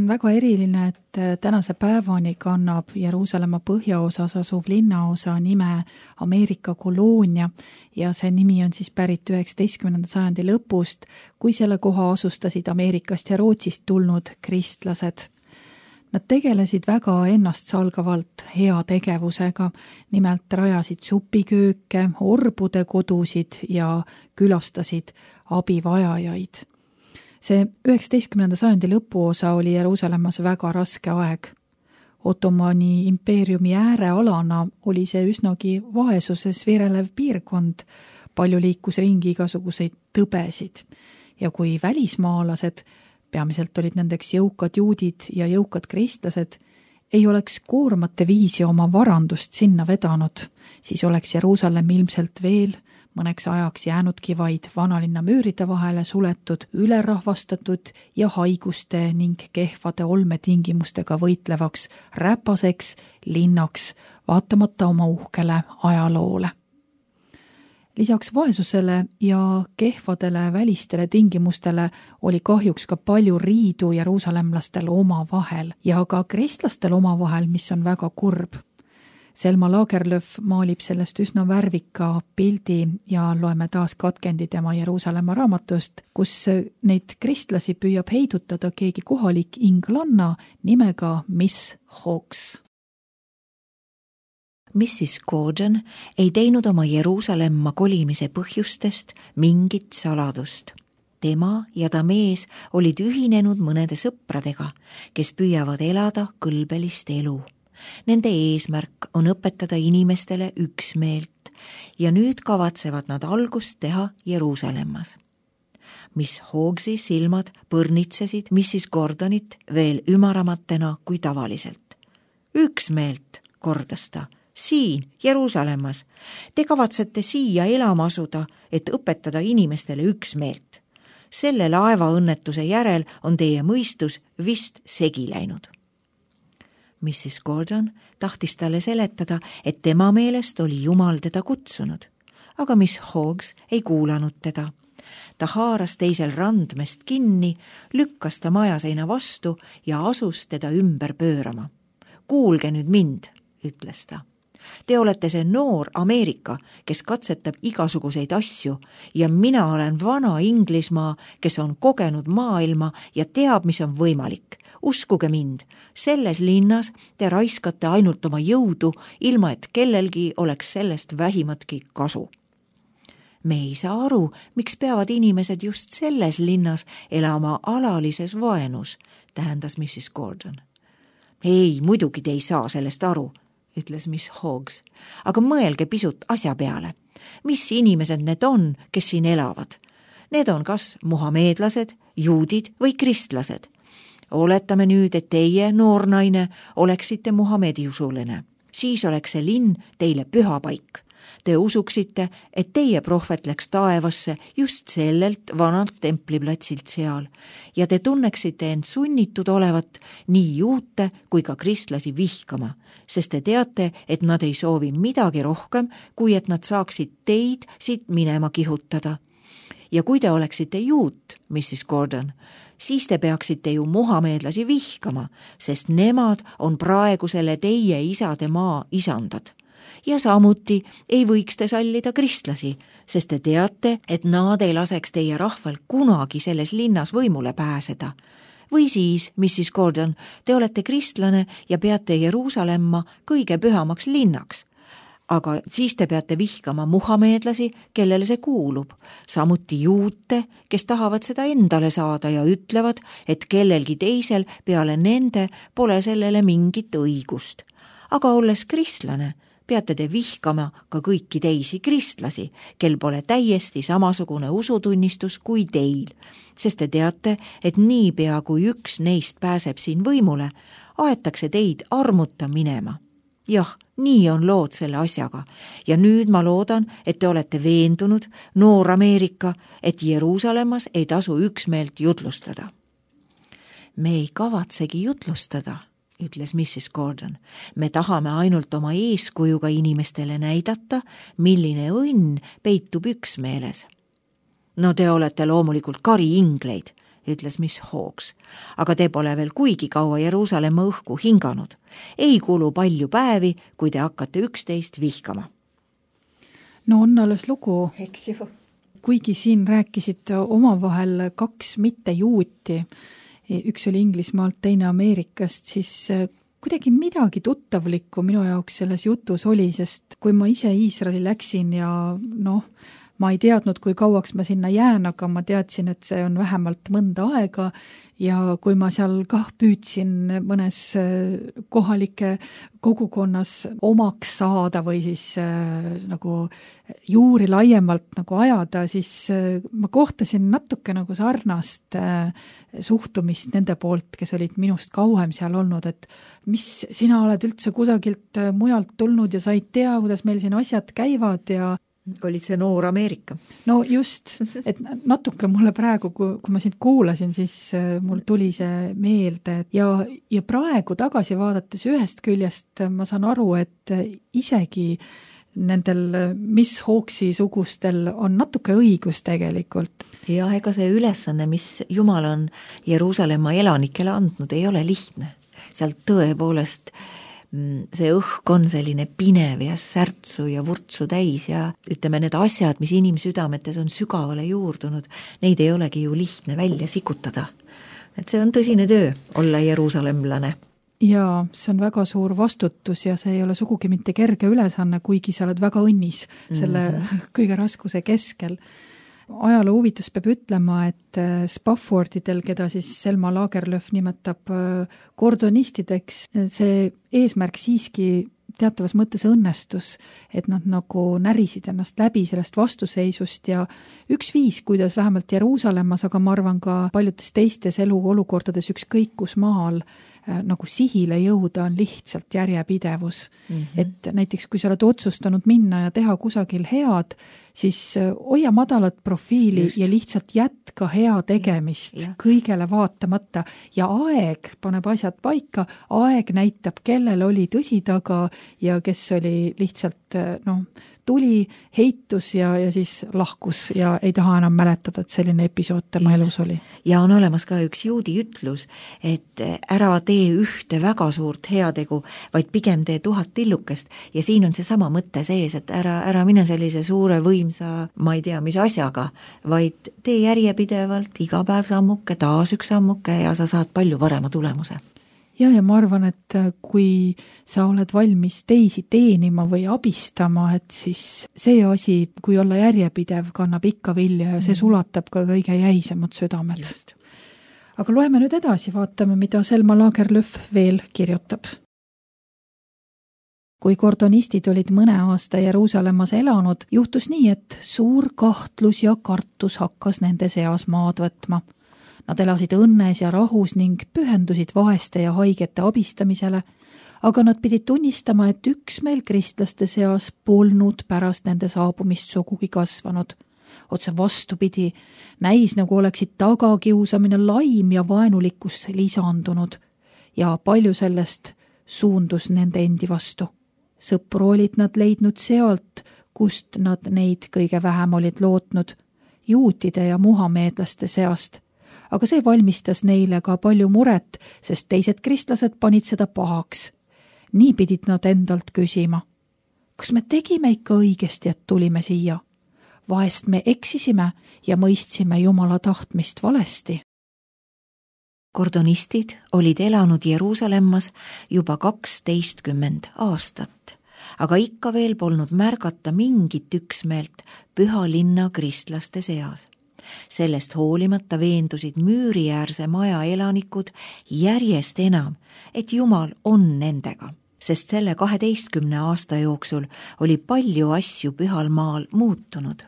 väga eriline, et tänase päevani kannab Jeruusalemma põhjaosas asuv linnaosa nime Ameerika koloonia ja see nimi on siis pärit 19. sajandi lõpust, kui selle koha asustasid Ameerikast ja Rootsist tulnud kristlased. Nad tegelesid väga ennastsalgavalt heategevusega, nimelt rajasid supikööke, orbude kodusid ja külastasid abivajajaid. See 19. sajandi lõpuosa oli Jeruusalemmas väga raske aeg. Ottomani impeeriumi äärealana oli see üsnagi vaesuses virelev piirkond, palju liikus ringi igasuguseid tõbesid ja kui välismaalased, peamiselt olid nendeks jõukad juudid ja jõukad kristlased, ei oleks koormate viisi oma varandust sinna vedanud, siis oleks Jeruusalemm ilmselt veel mõneks ajaks jäänudki vaid vanalinna müüride vahele suletud, ülerahvastatud ja haiguste ning kehvade olmetingimustega võitlevaks räpaseks linnaks, vaatamata oma uhkele ajaloole. Lisaks vaesusele ja kehvadele välistele tingimustele oli kahjuks ka palju riidu jeruusalemlastel omavahel ja ka kristlastel omavahel, mis on väga kurb. Selma Lagerlöf maalib sellest üsna värvika pildi ja loeme taas katkendi tema Jeruusalemma raamatust, kus neid kristlasi püüab heidutada keegi kohalik inglanna nimega Miss Hawks. Mrs. Gordon ei teinud oma Jeruusalemma kolimise põhjustest mingit saladust. Tema ja ta mees olid ühinenud mõnede sõpradega, kes püüavad elada kõlbelist elu. Nende eesmärk on õpetada inimestele üksmeelt ja nüüd kavatsevad nad algust teha Jeruusalemmas. Miss Hawksi silmad põrnitsesid Mrs. Gordonit veel ümaramatena kui tavaliselt. Üksmeelt, kordas ta, siin Jeruusalemmas. Te kavatsete siia elama asuda, et õpetada inimestele üksmeelt. Selle laevaõnnetuse järel on teie mõistus vist segi läinud. Mrs. Gordon tahtis talle seletada, et tema meelest oli Jumal teda kutsunud, aga Miss Hawks ei kuulanud teda. Ta haaras teisel randmest kinni, lükkas ta majaseina vastu ja asus teda ümber pöörama. Kuulge nüüd mind, ütles ta. Te olete see noor Ameerika, kes katsetab igasuguseid asju ja mina olen vana Inglismaa, kes on kogenud maailma ja teab, mis on võimalik. Uskuge mind, selles linnas te raiskate ainult oma jõudu, ilma et kellelgi oleks sellest vähimatki kasu. Me ei saa aru, miks peavad inimesed just selles linnas elama alalises vaenus, tähendas Mrs. Gordon. Ei, muidugi te ei saa sellest aru, ütles Miss Hawks, aga mõelge pisut asja peale. Mis inimesed need on, kes siin elavad? Need on kas muhameedlased, juudid või kristlased. Oletame nüüd, et teie, noor naine, oleksite Muhamedi usuline. Siis oleks see linn teile püha paik. Te usuksite, et teie prohvet läks taevasse just sellelt vanalt templiplatsilt seal ja te tunneksite end sunnitud olevat nii juute kui ka kristlasi vihkama, sest te teate, et nad ei soovi midagi rohkem, kui et nad saaksid teid siit minema kihutada. Ja kui te oleksite juut, Mrs. Gordon, siis te peaksite ju muhameedlasi vihkama, sest nemad on praegu selle teie isade maa isandad. Ja samuti ei võiks te sallida kristlasi, sest te teate, et nad ei laseks teie rahval kunagi selles linnas võimule pääseda. Või siis, Mrs. Gordon, te olete kristlane ja peate Jeruusalemma kõige pühamaks linnaks. Aga siis te peate vihkama muhameedlasi, kellele see kuulub, samuti juute, kes tahavad seda endale saada ja ütlevad, et kellelgi teisel peale nende pole sellele mingit õigust. Aga olles kristlane, peate te vihkama ka kõiki teisi kristlasi, kel pole täiesti samasugune usutunnistus kui teil, sest te teate, et niipea kui üks neist pääseb siin võimule, aetakse teid armuta minema. Jah, nii on lood selle asjaga ja nüüd ma loodan, et te olete veendunud, noor Ameerika, et Jeruusalemmas ei tasu üksmeelt jutlustada. Me ei kavatsegi jutlustada, ütles Mrs. Gordon. Me tahame ainult oma eeskujuga inimestele näidata, milline õnn peitub üksmeeles. No te olete loomulikult kari ingleid, ütles Miss Hawks. Aga te pole veel kuigi kaua Jeruusalemma õhku hinganud. Ei kulu palju päevi, kui te hakkate 11 vihkama. No on alles lugu. Eks ju. Kuigi siin rääkisid omavahel 2 mittejuuti, üks oli Inglismaalt, teine Ameerikast, siis kuidagi midagi tuttavlikku minu jaoks selles jutus oli, sest kui ma ise Iisraeli läksin ja ma ei teadnud, kui kauaks ma sinna jään, aga ma teadsin, et see on vähemalt mõnda aega ja kui ma seal püüdsin mõnes kohalike kogukonnas omaks saada või siis nagu juuri laiemalt nagu ajada, siis ma kohtasin natuke nagu sarnast suhtumist nende poolt, kes olid minust kauem seal olnud, et mis sina oled üldse kusagilt mujalt tulnud ja sa ei tea, kuidas meil siin asjad käivad ja olid see noor Ameerika? No just, et natuke mulle praegu, kui ma sind kuulasin, siis mul tuli see meelde ja praegu tagasi vaadates ühest küljest ma saan aru, et isegi nendel Miss Hawksi sugustel on natuke õigus tegelikult. Ja ega see ülesanne, mis Jumal on Jeruusalemma elanikele andnud, ei ole lihtne. Seal tõepoolest see õhk on selline pinev ja särtsu ja vurtsu täis ja ütleme, need asjad, mis inimsüdametes on sügavale juurdunud, neid ei olegi ju lihtne välja sikutada. Et see on tõsine töö olla jeruusalemlane. Ja see on väga suur vastutus ja see ei ole sugugi mitte kerge ülesanne, kuigi sa oled väga õnnis selle kõige raskuse keskel. Ajaloo huvitus peab ütlema, et Spaffordidel, keda siis Selma Lagerlöf nimetab kordonistideks, see eesmärk siiski teatavas mõttes õnnestus, et nad nagu närisid ennast läbi sellest vastuseisust ja üks viis, kuidas vähemalt Jeruusalemmas, aga ma arvan ka paljudes teistes eluolukordades ükskõik kus maal nagu sihile jõuda on lihtsalt järjepidevus. Et näiteks kui sa oled otsustanud minna ja teha kusagil head, siis hoia madalat profiili ja lihtsalt jätka hea tegemist kõigele vaatamata ja aeg paneb asjad paika, aeg näitab, kellel oli tõsi taga ja kes oli lihtsalt tuli, heitus ja siis lahkus ja ei taha enam mäletada, et selline episood tema elus oli. Ja on olemas ka üks juudi ütlus, et ära tee ühte väga suurt heategu, vaid pigem tee 1000 tillukest ja siin on see sama mõte sees, et ära mine sellise suure võimsa, ma ei tea, mis asjaga, vaid tee järjepidevalt iga päev sammuke, taas üks sammuke ja sa saad palju parema tulemuse. Ja ma arvan, et kui sa oled valmis teisi teenima või abistama, et siis see asi, kui olla järjepidev, kannab ikka vilja ja see sulatab ka kõige jäisemad südamed. Just. Aga loeme nüüd edasi, vaatame, mida Selma Lagerlöf veel kirjutab. Kui kordonistid olid mõne aasta Jeruusalemmas elanud, juhtus nii, et suur kahtlus ja kartus hakkas nende seas maad võtma. Nad elasid õnnes ja rahus ning pühendusid vaeste ja haigete abistamisele, aga nad pidid tunnistama, et üksmeel kristlaste seas polnud pärast nende saabumist sugugi kasvanud. Otse vastupidi, näis nagu oleksid tagakiusamine, laim ja vaenulikkus lisandunud ja palju sellest suundus nende endi vastu. Sõpru olid nad leidnud sealt, kust nad neid kõige vähem olid lootnud, juutide ja muhameedlaste seast. Aga see valmistas neile ka palju muret, sest teised kristlased panid seda pahaks. Nii pidid nad endalt küsima. Kas me tegime ikka õigesti, et tulime siia? Vahest me eksisime ja mõistsime Jumala tahtmist valesti. Kordonistid olid elanud Jeruusalemmas juba 12 aastat, aga ikka veel polnud märgata mingit üksmeelt püha linna kristlaste seas. Sellest hoolimata veendusid müüriäärse maja elanikud järjest enam, et Jumal on nendega, sest selle 12 aasta jooksul oli palju asju pühal maal muutunud.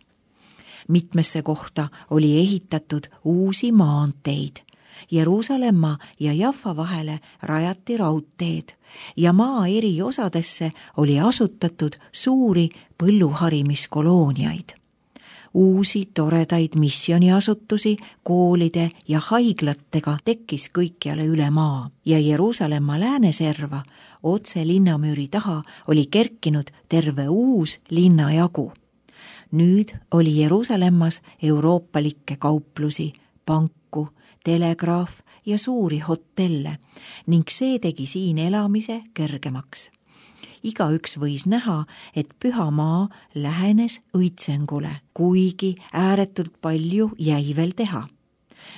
Mitmesse kohta oli ehitatud uusi maanteid. Jeruusalemma ja Jaffa vahele rajati raudteed ja maa eri osadesse oli asutatud suuri põlluharimiskolooniaid. Uusi toredaid missioniasutusi, koolide ja haiglatega tekkis kõikjale üle maa ja Jeruusalemma lääneserva otse linnamüüri taha oli kerkinud terve uus linnajagu. Nüüd oli Jeruusalemmas euroopalikke kauplusi, panke kirku, telegraaf ja suuri hotelle ning see tegi siin elamise kergemaks. Igaüks võis näha, et Püha Maa lähenes õitsengule, kuigi ääretult palju jäi veel teha.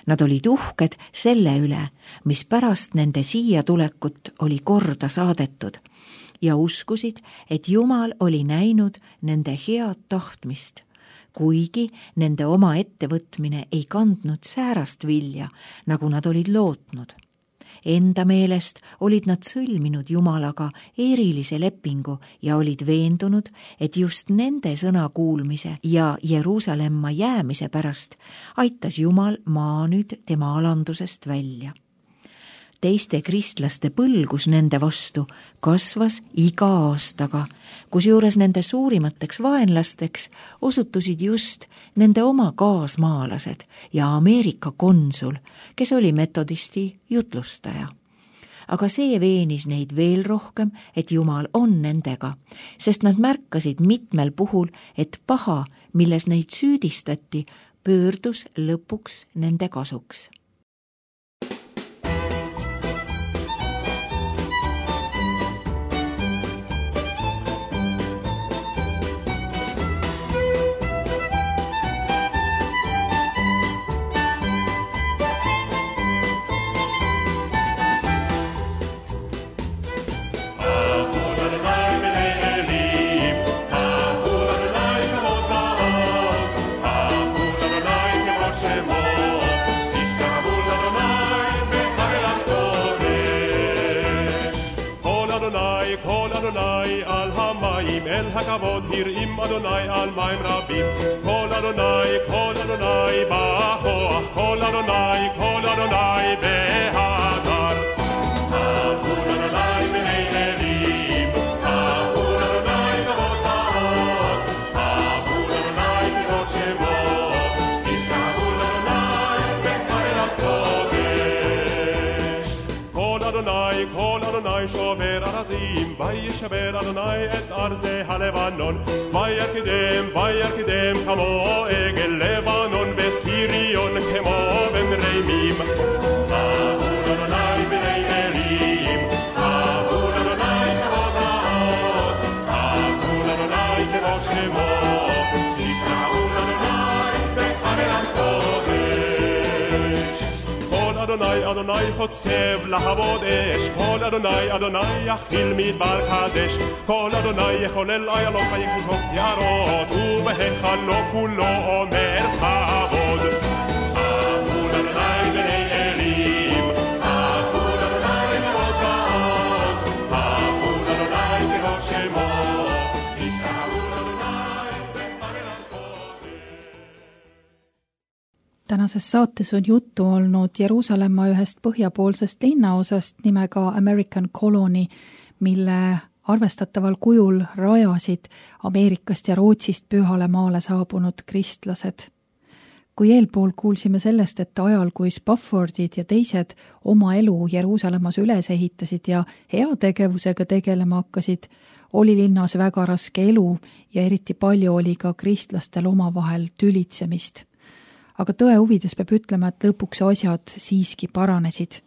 Nad olid uhked selle üle, mis pärast nende siia tulekut oli korda saadetud ja uskusid, et Jumal oli näinud nende head tahtmist, kuigi nende oma ettevõtmine ei kandnud säärast vilja, nagu nad olid lootnud. Enda meelest olid nad sõlminud Jumalaga erilise lepingu ja olid veendunud, et just nende sõna kuulmise ja Jeruusalemma jäämise pärast aitas Jumal maa nüüd tema alandusest välja. Teiste kristlaste põlgus nende vastu kasvas iga aastaga, kusjuures nende suurimateks vaenlasteks osutusid just nende oma kaasmaalased ja Ameerika konsul, kes oli metodisti jutlustaja. Aga see veenis neid veel rohkem, et Jumal on nendega, sest nad märkasid mitmel puhul, et paha, milles neid süüdistati, pöördus lõpuks nende kasuks. הכבוד הרעים אדוני על מים רבים כל אדוני בכוח כל אדוני בהדר אהבו אדוני בני אלים אהבו אדוני כבוד מעוז אהבו אדוני כבוד שמו ישכחו אדוני בארץ הקודש כל אדוני שובר ארזים וישבר אדוני את ארזי הלבנון וירקדם כמו עגל לבנון וסיריון כמו בן רימים אהבו אדוני בני אלים אהבו אדוני כבוד מעוז אהבו אדוני כבוד שמו ישכחו אדוני בארץ הקודש כל אדוני חוצב להבות אש כל אדוני יכיל מדבר קדש כל אדוני יחולל איילות ויכשוף יערות ובהיכלו כולו אומר כבוד אהבו אדוני בני אלים אהבו אדוני כבוד מעוז אהבו אדוני כבוד שמו ישכחו אדוני בארץ הקודש. Tänases saates on juttu olnud Jeruusalemma ühest põhjapoolsest linnaosast nimega American Colony, mille arvestataval kujul rajasid Ameerikast ja Rootsist Pühale maale saabunud kristlased. Kui eelpool kuulsime sellest, et ajal, kui Spaffordid ja teised oma elu Jeruusalemmas üles ehitasid ja heategevusega tegelema hakkasid, oli linnas väga raske elu ja eriti palju oli ka kristlastel omavahel tülitsemist. Aga tõe huvides peab ütlema, et lõpuks asjad siiski paranesid.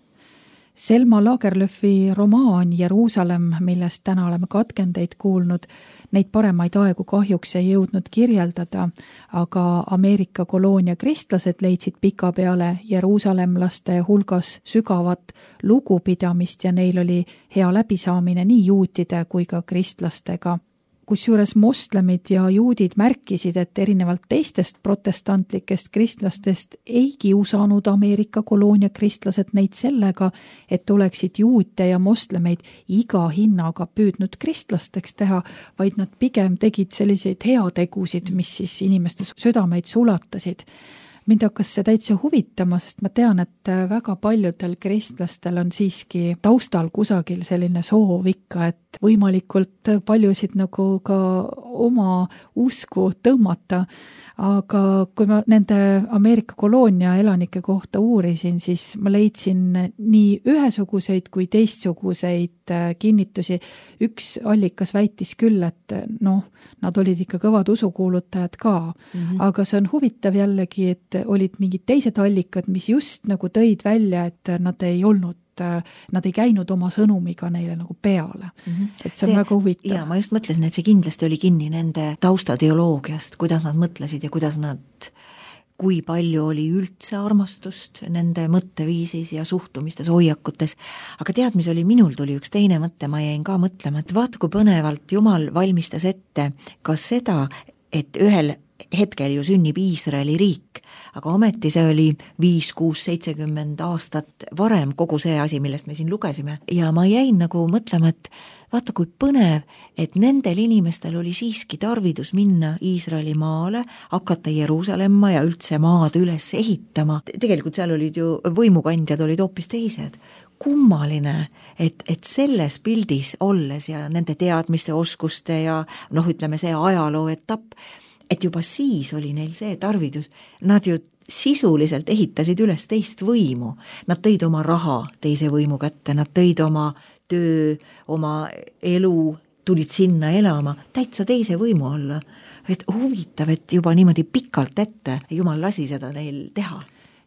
Selma Lagerlöfi romaan Jeruusalemm, millest täna oleme katkendeid kuulnud, neid paremaid aegu kahjuks ei jõudnud kirjeldada, aga Ameerika koloonia kristlased leidsid pikapeale jeruusalemlaste hulgas sügavat lugupidamist ja neil oli hea läbisaamine nii juutide kui ka kristlastega. Kusjuures moslemid ja juudid märkisid, et erinevalt teistest protestantlikest kristlastest ei kiusanud Ameerika koloonia kristlased neid sellega, et oleksid juute ja moslemeid iga hinnaga püüdnud kristlasteks teha, vaid nad pigem tegid selliseid heategusid, mis siis inimeste südameid sulatasid. Mind hakkas see täitsa huvitama, sest ma tean, et väga paljudel kristlastel on siiski taustal kusagil selline soov ikka, et võimalikult paljusid nagu ka oma usku tõmmata. Aga kui ma nende Ameerika koloonia elanike kohta uurisin, siis ma leidsin nii ühesuguseid kui teistsuguseid kinnitusi. Üks allikas väitis küll, et nad olid ikka kõvad usukuulutajad ka. Aga see on huvitav jällegi, et olid mingid teised allikad, mis just nagu tõid välja, et nad ei käinud oma sõnumiga neile nagu peale. Et see on väga huvitav. Ja ma just mõtlesin, et see kindlasti oli kinni nende taustateoloogiast, kuidas nad mõtlesid ja kui palju oli üldse armastust nende mõtteviisis ja suhtumistes, hoiakutes. Aga tead, mis oli, minul tuli üks teine mõte, ma jäin ka mõtlema, et vaata, kui põnevalt Jumal valmistas ette ka seda, et ühel hetkel ju sünnib Iisraeli riik, aga ometi see oli 5, 6, 70 aastat varem kogu see asi, millest me siin lugesime. Ja ma jäin nagu mõtlema, et vaata, kui põnev, et nendel inimestel oli siiski tarvidus minna Iisraeli maale, hakata Jeruusalemma ja üldse maad üles ehitama. Tegelikult seal olid ju võimukandjad olid hoopis teised. Kummaline, et selles pildis olles ja nende teadmiste, oskuste ja ütleme see ajaloo etapp, et juba siis oli neil see tarvidus. Nad ju sisuliselt ehitasid üles teist võimu. Nad tõid oma raha teise võimu kätte, nad tõid oma töö, oma elu, tulid sinna elama, täitsa teise võimu alla. Et huvitav, et juba niimoodi pikalt ette Jumal lasi seda neil teha.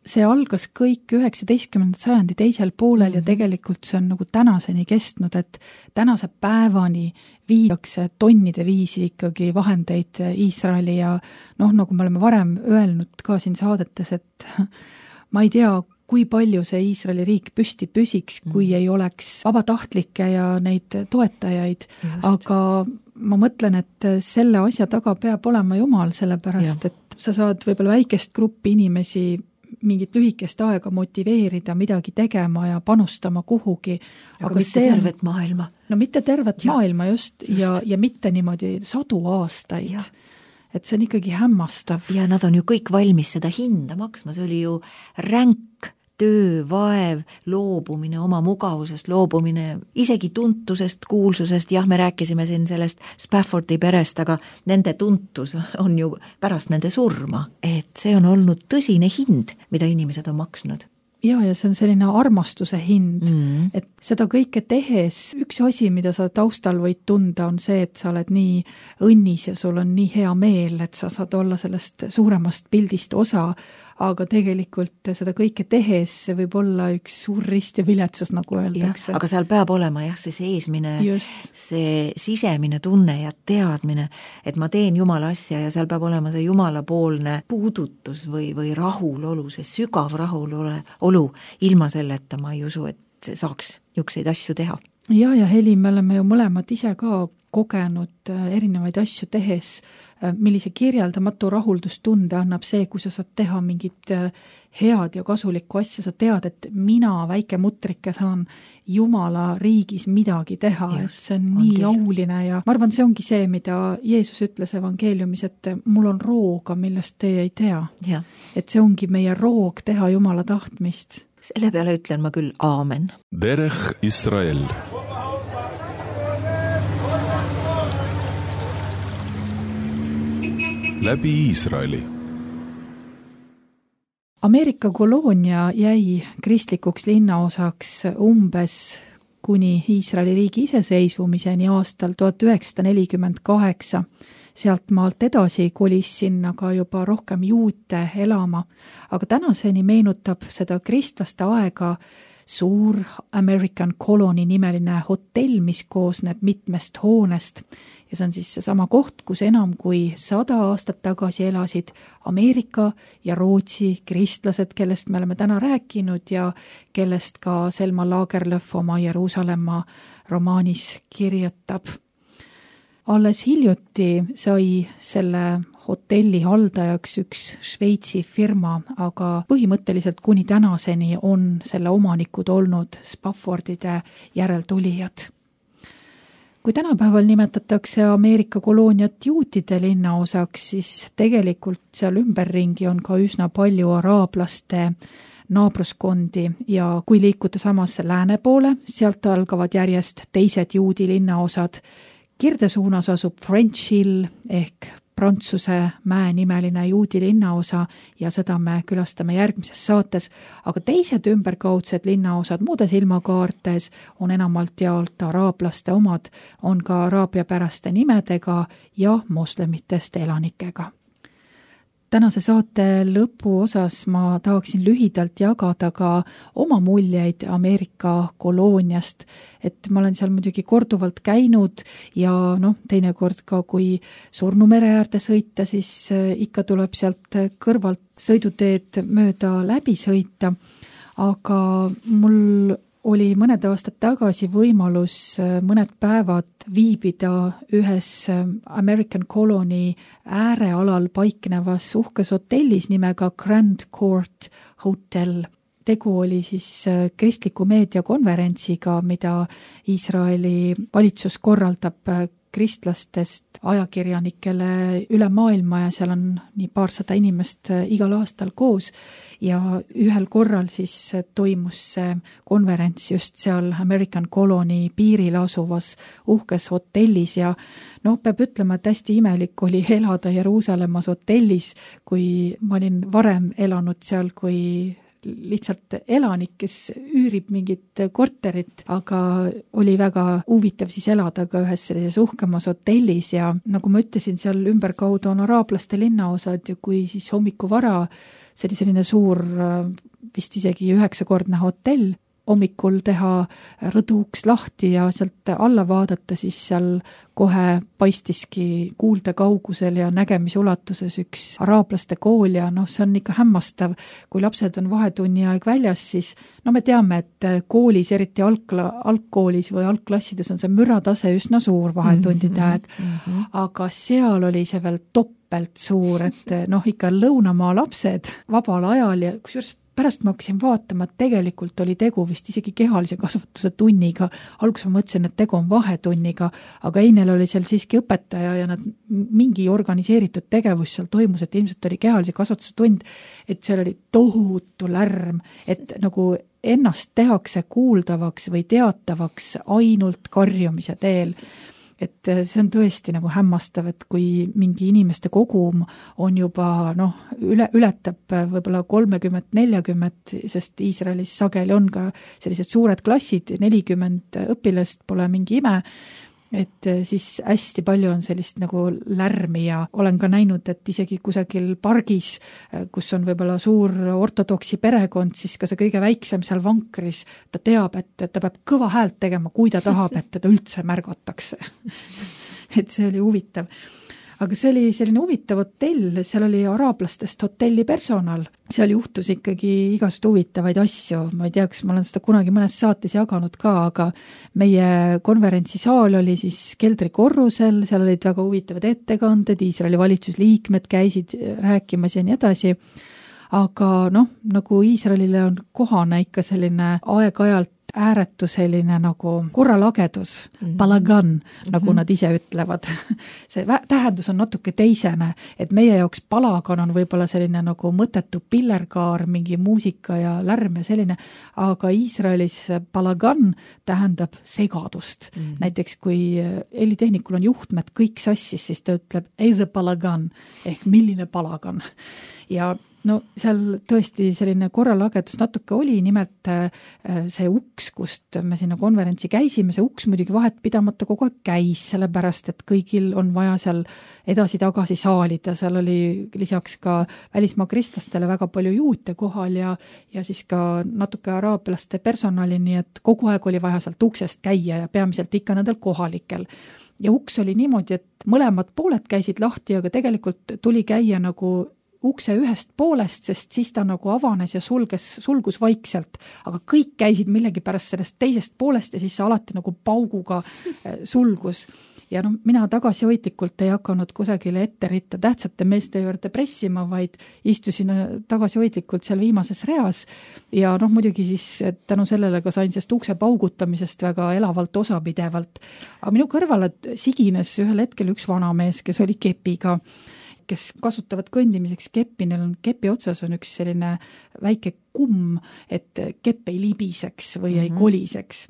See algas kõik 19. sajandi teisel poolel ja tegelikult see on nagu tänaseni kestnud, et tänase päevani viiakse tonnide viisi ikkagi vahendeid Iisraeli ja nagu me oleme varem öelnud ka siin saadetes, et ma ei tea, kui palju see Iisraeli riik püsti püsiks, kui ei oleks vabatahtlikke ja neid toetajaid, aga ma mõtlen, et selle asja taga peab olema Jumal, sellepärast, et sa saad võib-olla väikest gruppi inimesi mingit lühikest aega motiveerida midagi tegema ja panustama kuhugi. Aga mitte tervet maailma. No mitte tervet maailma just. Ja mitte niimoodi 100 aastaid. Ja. Et see on ikkagi hämmastav. Ja nad on ju kõik valmis seda hinda maksma. See oli ju ränk töö, vaev, loobumine, oma mugavusest loobumine, isegi tuntusest, kuulsusest, jah, me rääkisime siin sellest Spaffordi perest, aga nende tuntus on ju pärast nende surma, et see on olnud tõsine hind, mida inimesed on maksnud. Ja see on selline armastuse hind, et seda kõike tehes, üks asi, mida sa taustal võid tunda, on see, et sa oled nii õnnis ja sul on nii hea meel, et sa saad olla sellest suuremast pildist osa, aga tegelikult seda kõike tehes võib olla üks suur rist ja viletsus, nagu öeldakse. Aga seal peab olema see seesmine, see sisemine tunne ja teadmine, et ma teen Jumala asja ja seal peab olema see Jumalapoolne puudutus või rahulolu, see sügav rahulolu, ilma selleta ma ei usu, et saaks niisuguseid asju teha. Ja Heli, me oleme ju mõlemad ise ka kogenud erinevaid asju tehes, millise kirjeldamatu rahuldustunde annab see, kui sa saad teha mingit head ja kasulikku asja, sa tead, et mina, väike mutrike, saan Jumala riigis midagi teha, et see on nii auline ja ma arvan, see ongi see, mida Jeesus ütles evangeeliumis, et mul on rooga, millest teie ei tea. Ja. Et see ongi meie roog teha Jumala tahtmist. Selle peale ütlen ma küll aamen. Derech Israel. Läbi Iisraeli. Ameerika koloonia jäi kristlikuks linnaosaks umbes kuni Iisraeli riigi iseseisvumiseni aastal 1948. Sealt maalt edasi kolis sinna ka juba rohkem juute elama, aga tänaseni meenutab seda kristlaste aega suur American Colony nimeline hotell, mis koosneb mitmest hoonest ja see on siis seesama koht, kus enam kui 100 aastat tagasi elasid Ameerika ja Rootsi kristlased, kellest me oleme täna rääkinud ja kellest ka Selma Lagerlöf oma Jeruusalemma romaanis kirjutab. Alles hiljuti sai selle hotelli haldajaks üks Šveitsi firma, aga põhimõtteliselt kuni tänaseni on selle omanikud olnud Spaffordide järeltulijad. Kui tänapäeval nimetatakse Ameerika kolooniat juutide linnaosaks, siis tegelikult seal ümberringi on ka üsna palju araablaste naabruskondi ja kui liikuda samasse lääne poole, sealt algavad järjest teised juudi linnaosad. Kirdesuunas asub French Hill ehk Prantsuse mäe nimeline juudi linnaosa ja seda me külastame järgmises saates, aga teised ümberkaudsed linnaosad muudes ilmakaartes on enamalt jaolt araablaste omad, on ka araabiapäraste nimedega ja moslemitest elanikega. tänase saate lõpuosas ma tahaksin lühidalt jagada ka oma muljeid Ameerika kolooniast, et ma olen seal muidugi korduvalt käinud ja teinekord ka kui Surnu mere äärde sõita, siis ikka tuleb sealt kõrvalt sõiduteed mööda läbi sõita, aga mul oli mõned aastad tagasi võimalus mõned päevad viibida ühes American Colony äärealal paiknevas uhkes hotellis nimega Grand Court Hotel. Tegu oli siis kristliku meedia konverentsiga, mida Iisraeli valitsus korraldab kristlastest ajakirjanikele üle maailma ja seal on nii paarsada inimest igal aastal koos ja ühel korral siis toimus see konverents just seal American Colony piiril asuvas uhkes hotellis ja peab ütlema, et hästi imelik oli elada Jeruusalemmas hotellis, kui ma olin varem elanud seal kui lihtsalt elanik, kes üürib mingit korterit, aga oli väga huvitav siis elada ka ühes sellises uhkemas hotellis ja nagu ma ütlesin, seal ümberkaudu on araablaste linnaosad ja kui siis hommikuvara, see oli selline suur, vist isegi 9-kordne hotell, hommikul teha rõduuks lahti ja sealt alla vaadata, siis seal kohe paistiski kuulde kaugusel ja nägemisulatuses üks araablaste kool ja see on ikka hämmastav, kui lapsed on vahetunni aeg väljas, siis me teame, et koolis, eriti algkoolis või algklassides on see müratase üsna suur vahetundide aeg, aga seal oli see veel toppelt suur, et ikka lõunamaa lapsed vabal ajal ja kusjuures pärast ma hakkasin vaatama, et tegelikult oli tegu vist isegi kehalise kasvatuse tunniga. Alguses ma mõtlesin, et tegu on vahetunniga, aga Einel oli seal siiski õpetaja ja nad mingi organiseeritud tegevus seal toimus, et ilmselt oli kehalise kasvatuse tund, et seal oli tohutu lärm, et nagu ennast tehakse kuuldavaks või teatavaks ainult karjumise teel. Et see on tõesti nagu hämmastav, et kui mingi inimeste kogum on juba ületab võib-olla 30-40, sest Iisraelis sageli on ka sellised suured klassid, 40 õpilast, pole mingi ime, et siis hästi palju on sellist nagu lärmi ja olen ka näinud, et isegi kusagil pargis, kus on võib-olla suur ortodoksi perekond, siis ka see kõige väiksem seal vankris, ta teab, et ta peab kõva häält tegema, kui ta tahab, et teda üldse märgatakse. Et see oli huvitav. Aga see oli selline huvitav hotell, seal oli araablastest hotelli personal. Seal juhtus ikkagi igasugu huvitavaid asju. Ma ei tea, kas ma olen seda kunagi mõnes saates jaganud ka, aga meie konverentsisaal oli siis keldrikorrusel, seal olid väga huvitavad ettekanded, Iisraeli valitsusliikmed käisid rääkimas ja nii edasi. Aga nagu Iisraelile on kohane ikka selline aeg-ajalt ääretu selline nagu korralagedus, balagan, nagu nad ise ütlevad. See tähendus on natuke teisene, et meie jaoks balagan on võib-olla selline nagu mõttetu pillerkaar, mingi muusika ja lärm ja selline, aga Iisraelis balagan tähendab segadust. Näiteks kui helitehnikul on juhtmed kõik sassis, siis ta ütleb eise balagan ehk milline balagan. Ja seal tõesti selline korralagedus natuke oli, nimelt see uks, kust me sinna konverentsi käisime, see uks muidugi vahet pidamata kogu aeg käis, sellepärast, et kõigil on vaja seal edasi-tagasi saalida, seal oli lisaks ka välismaa kristlastele väga palju juute kohal ja siis ka natuke araablaste personali, nii et kogu aeg oli vaja sealt uksest käia ja peamiselt ikka nendel kohalikel. Ja uks oli niimoodi, et mõlemad pooled käisid lahti, aga tegelikult tuli käia nagu ukse ühest poolest, sest siis ta nagu avanes ja sulgus vaikselt, aga kõik käisid millegi pärast sellest teisest poolest ja siis see alati nagu pauguga sulgus. Ja mina tagasihoidlikult ei hakanud kusagile etteritta tähtsate meeste juurde pressima, vaid istusin tagasihoidlikult seal viimases reas ja muidugi siis tänu sellele ka sain sest ukse paugutamisest väga elavalt osapidevalt. Aga minu kõrvale sigines ühel hetkel üks vanamees, kes oli kepiga, kes kasutavad kõndimiseks keppi, neil on kepi otsas on üks selline väike kumm, et kepp ei libiseks või ei koliseks.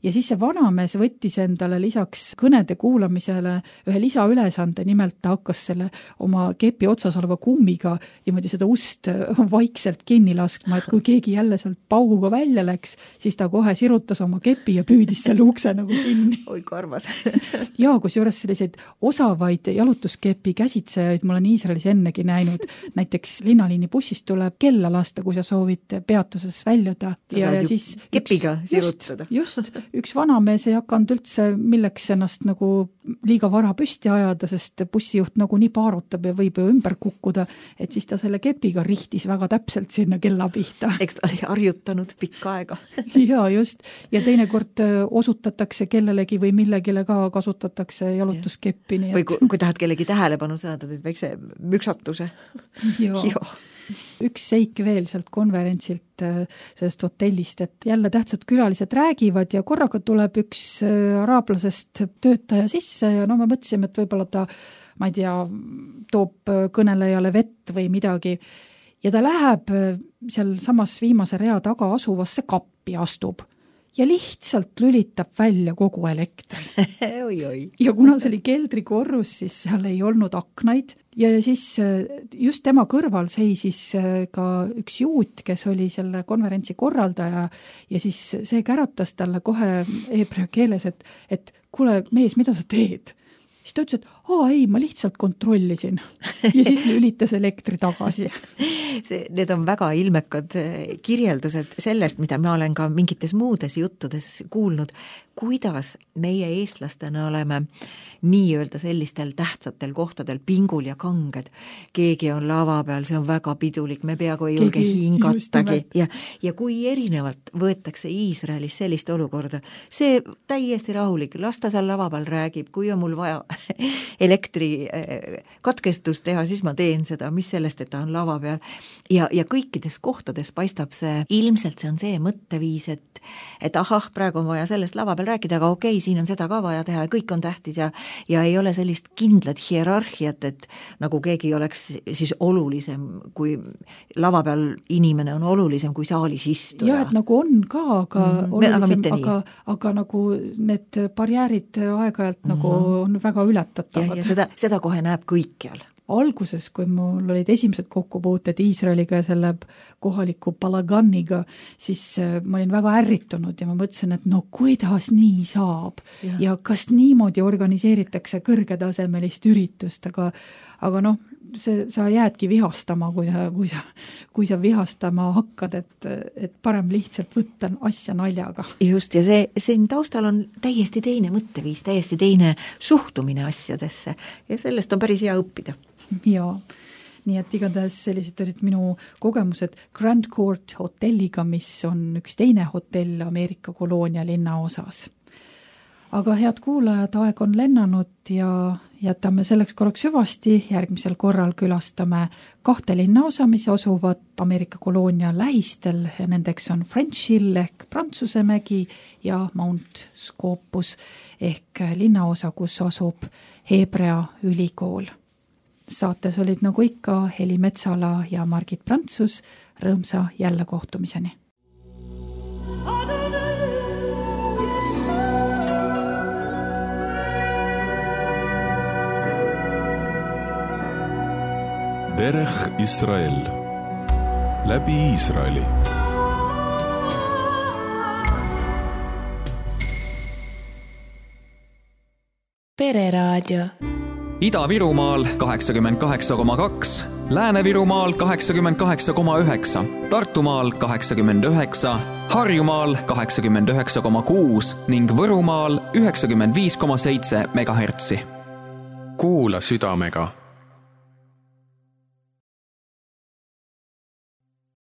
ja siis see vanamees võttis endale lisaks kõnede kuulamisele ühe lisaülesande, nimelt ta hakkas selle oma kepi otsas oleva kummiga niimoodi seda ust vaikselt kinni laskma, et kui keegi jälle sealt pauguga välja läks, siis ta kohe sirutas oma kepi ja püüdis selle ukse nagu kinni. Oi, kui armas. Ja kusjuures selliseid osavaid jalutuskepi käsitsejaid ma olen Iisraelis ennegi näinud. Näiteks linnaliini bussist tuleb kella lasta, kui sa soovid peatuses väljuda. Ja siis kepiga sirutada. Just, üks vanamees ei hakanud üldse milleks ennast nagu liiga vara püsti ajada, sest bussijuht nagu nii paarutab ja võib ju ümber kukkuda, et siis ta selle kepiga rihtis väga täpselt sinna kella pihta. Eks ta oli harjutanud pikka aega. Ja just, ja teinekord osutatakse kellelegi või millegile ka kasutatakse jalutuskeppi. Või kui tahad kellegi tähelepanu saada, teed väikse müksatuse. Joo. Üks seik veel sealt konverentsilt sellest hotellist, et jälle tähtsad külalised räägivad ja korraga tuleb üks araablasest töötaja sisse ja me mõtlesime, et võib-olla ta, ma ei tea, toob kõnelejale vett või midagi ja ta läheb seal samas viimase rea taga asuvasse kappi astub ja lihtsalt lülitab välja kogu elektri. Ja kuna see oli keldrikorrus, siis seal ei olnud aknaid ja siis just tema kõrval seisis ka üks juut, kes oli selle konverentsi korraldaja ja siis see käratas talle kohe heebrea keeles, et kuule mees, mida sa teed? Siis ta ütles, et ei, ma lihtsalt kontrollisin ja siis lülitas elektri tagasi. Need on väga ilmekad kirjeldused sellest, mida ma olen ka mingites muudes juttudes kuulnud, kuidas meie eestlastena oleme nii-öelda sellistel tähtsatel kohtadel pingul ja kanged. Keegi on lava peal, see on väga pidulik, me peaaegu ei julge hingatagi. Ja kui erinevalt võetakse Iisraelis sellist olukorda, see täiesti rahulik, lasta seal lava peal räägib, kui on mul vaja elektri katkestus teha, siis ma teen seda, mis sellest, et ta on lava peal. Ja kõikides kohtades paistab see, ilmselt see on see mõtteviis, et praegu on vaja sellest lava peal rääkida, aga okei, siin on seda ka vaja teha ja kõik on tähtis ja ei ole sellist kindlat hierarhiat, et nagu keegi oleks siis olulisem, kui lava peal inimene on olulisem kui saalis istuja. Ja, et nagu on ka, aga olulisem, aga nagu need barjäärid aeg-ajalt nagu on väga ületatavad. Ja seda kohe näeb kõikjal. Alguses, kui mul olid esimesed kokkupuuted Iisraeliga ja selle kohaliku Balaganiga, siis ma olin väga ärritunud ja ma mõtlesin, et kuidas nii saab ja kas niimoodi organiseeritakse kõrgetasemelist üritust, aga sa jäädki vihastama, kui sa vihastama hakkad, et parem lihtsalt võtta asja naljaga. Just, ja siin taustal on täiesti teine mõtteviis, täiesti teine suhtumine asjadesse ja sellest on päris hea õppida. Jaa, nii et igatahes sellised olid minu kogemused Grand Court hotelliga, mis on üks teine hotell Ameerika koloonia linna osas. Aga head kuulajad, aeg on lennanud ja jätame selleks korraks hüvasti. Järgmisel korral külastame 2 linnaosa, mis asuvad Ameerika koloonia lähistel ja nendeks on French Hill ehk Prantsuse mägi ja Mount Scopus ehk linnaosa, kus asub Heebrea ülikool. Saates olid nagu ikka Heli Metsala ja Margit Prantsus. Rõõmsa jälle kohtumiseni. Derech Israel. Läbi Iisraeli. Pereraadio. Ida-Virumaal 88,2, Lääne-Virumaal 88,9, Tartumaal 89, Harjumaal 89,6 ning Võrumaal 95,7 MHz. Kuula südamega.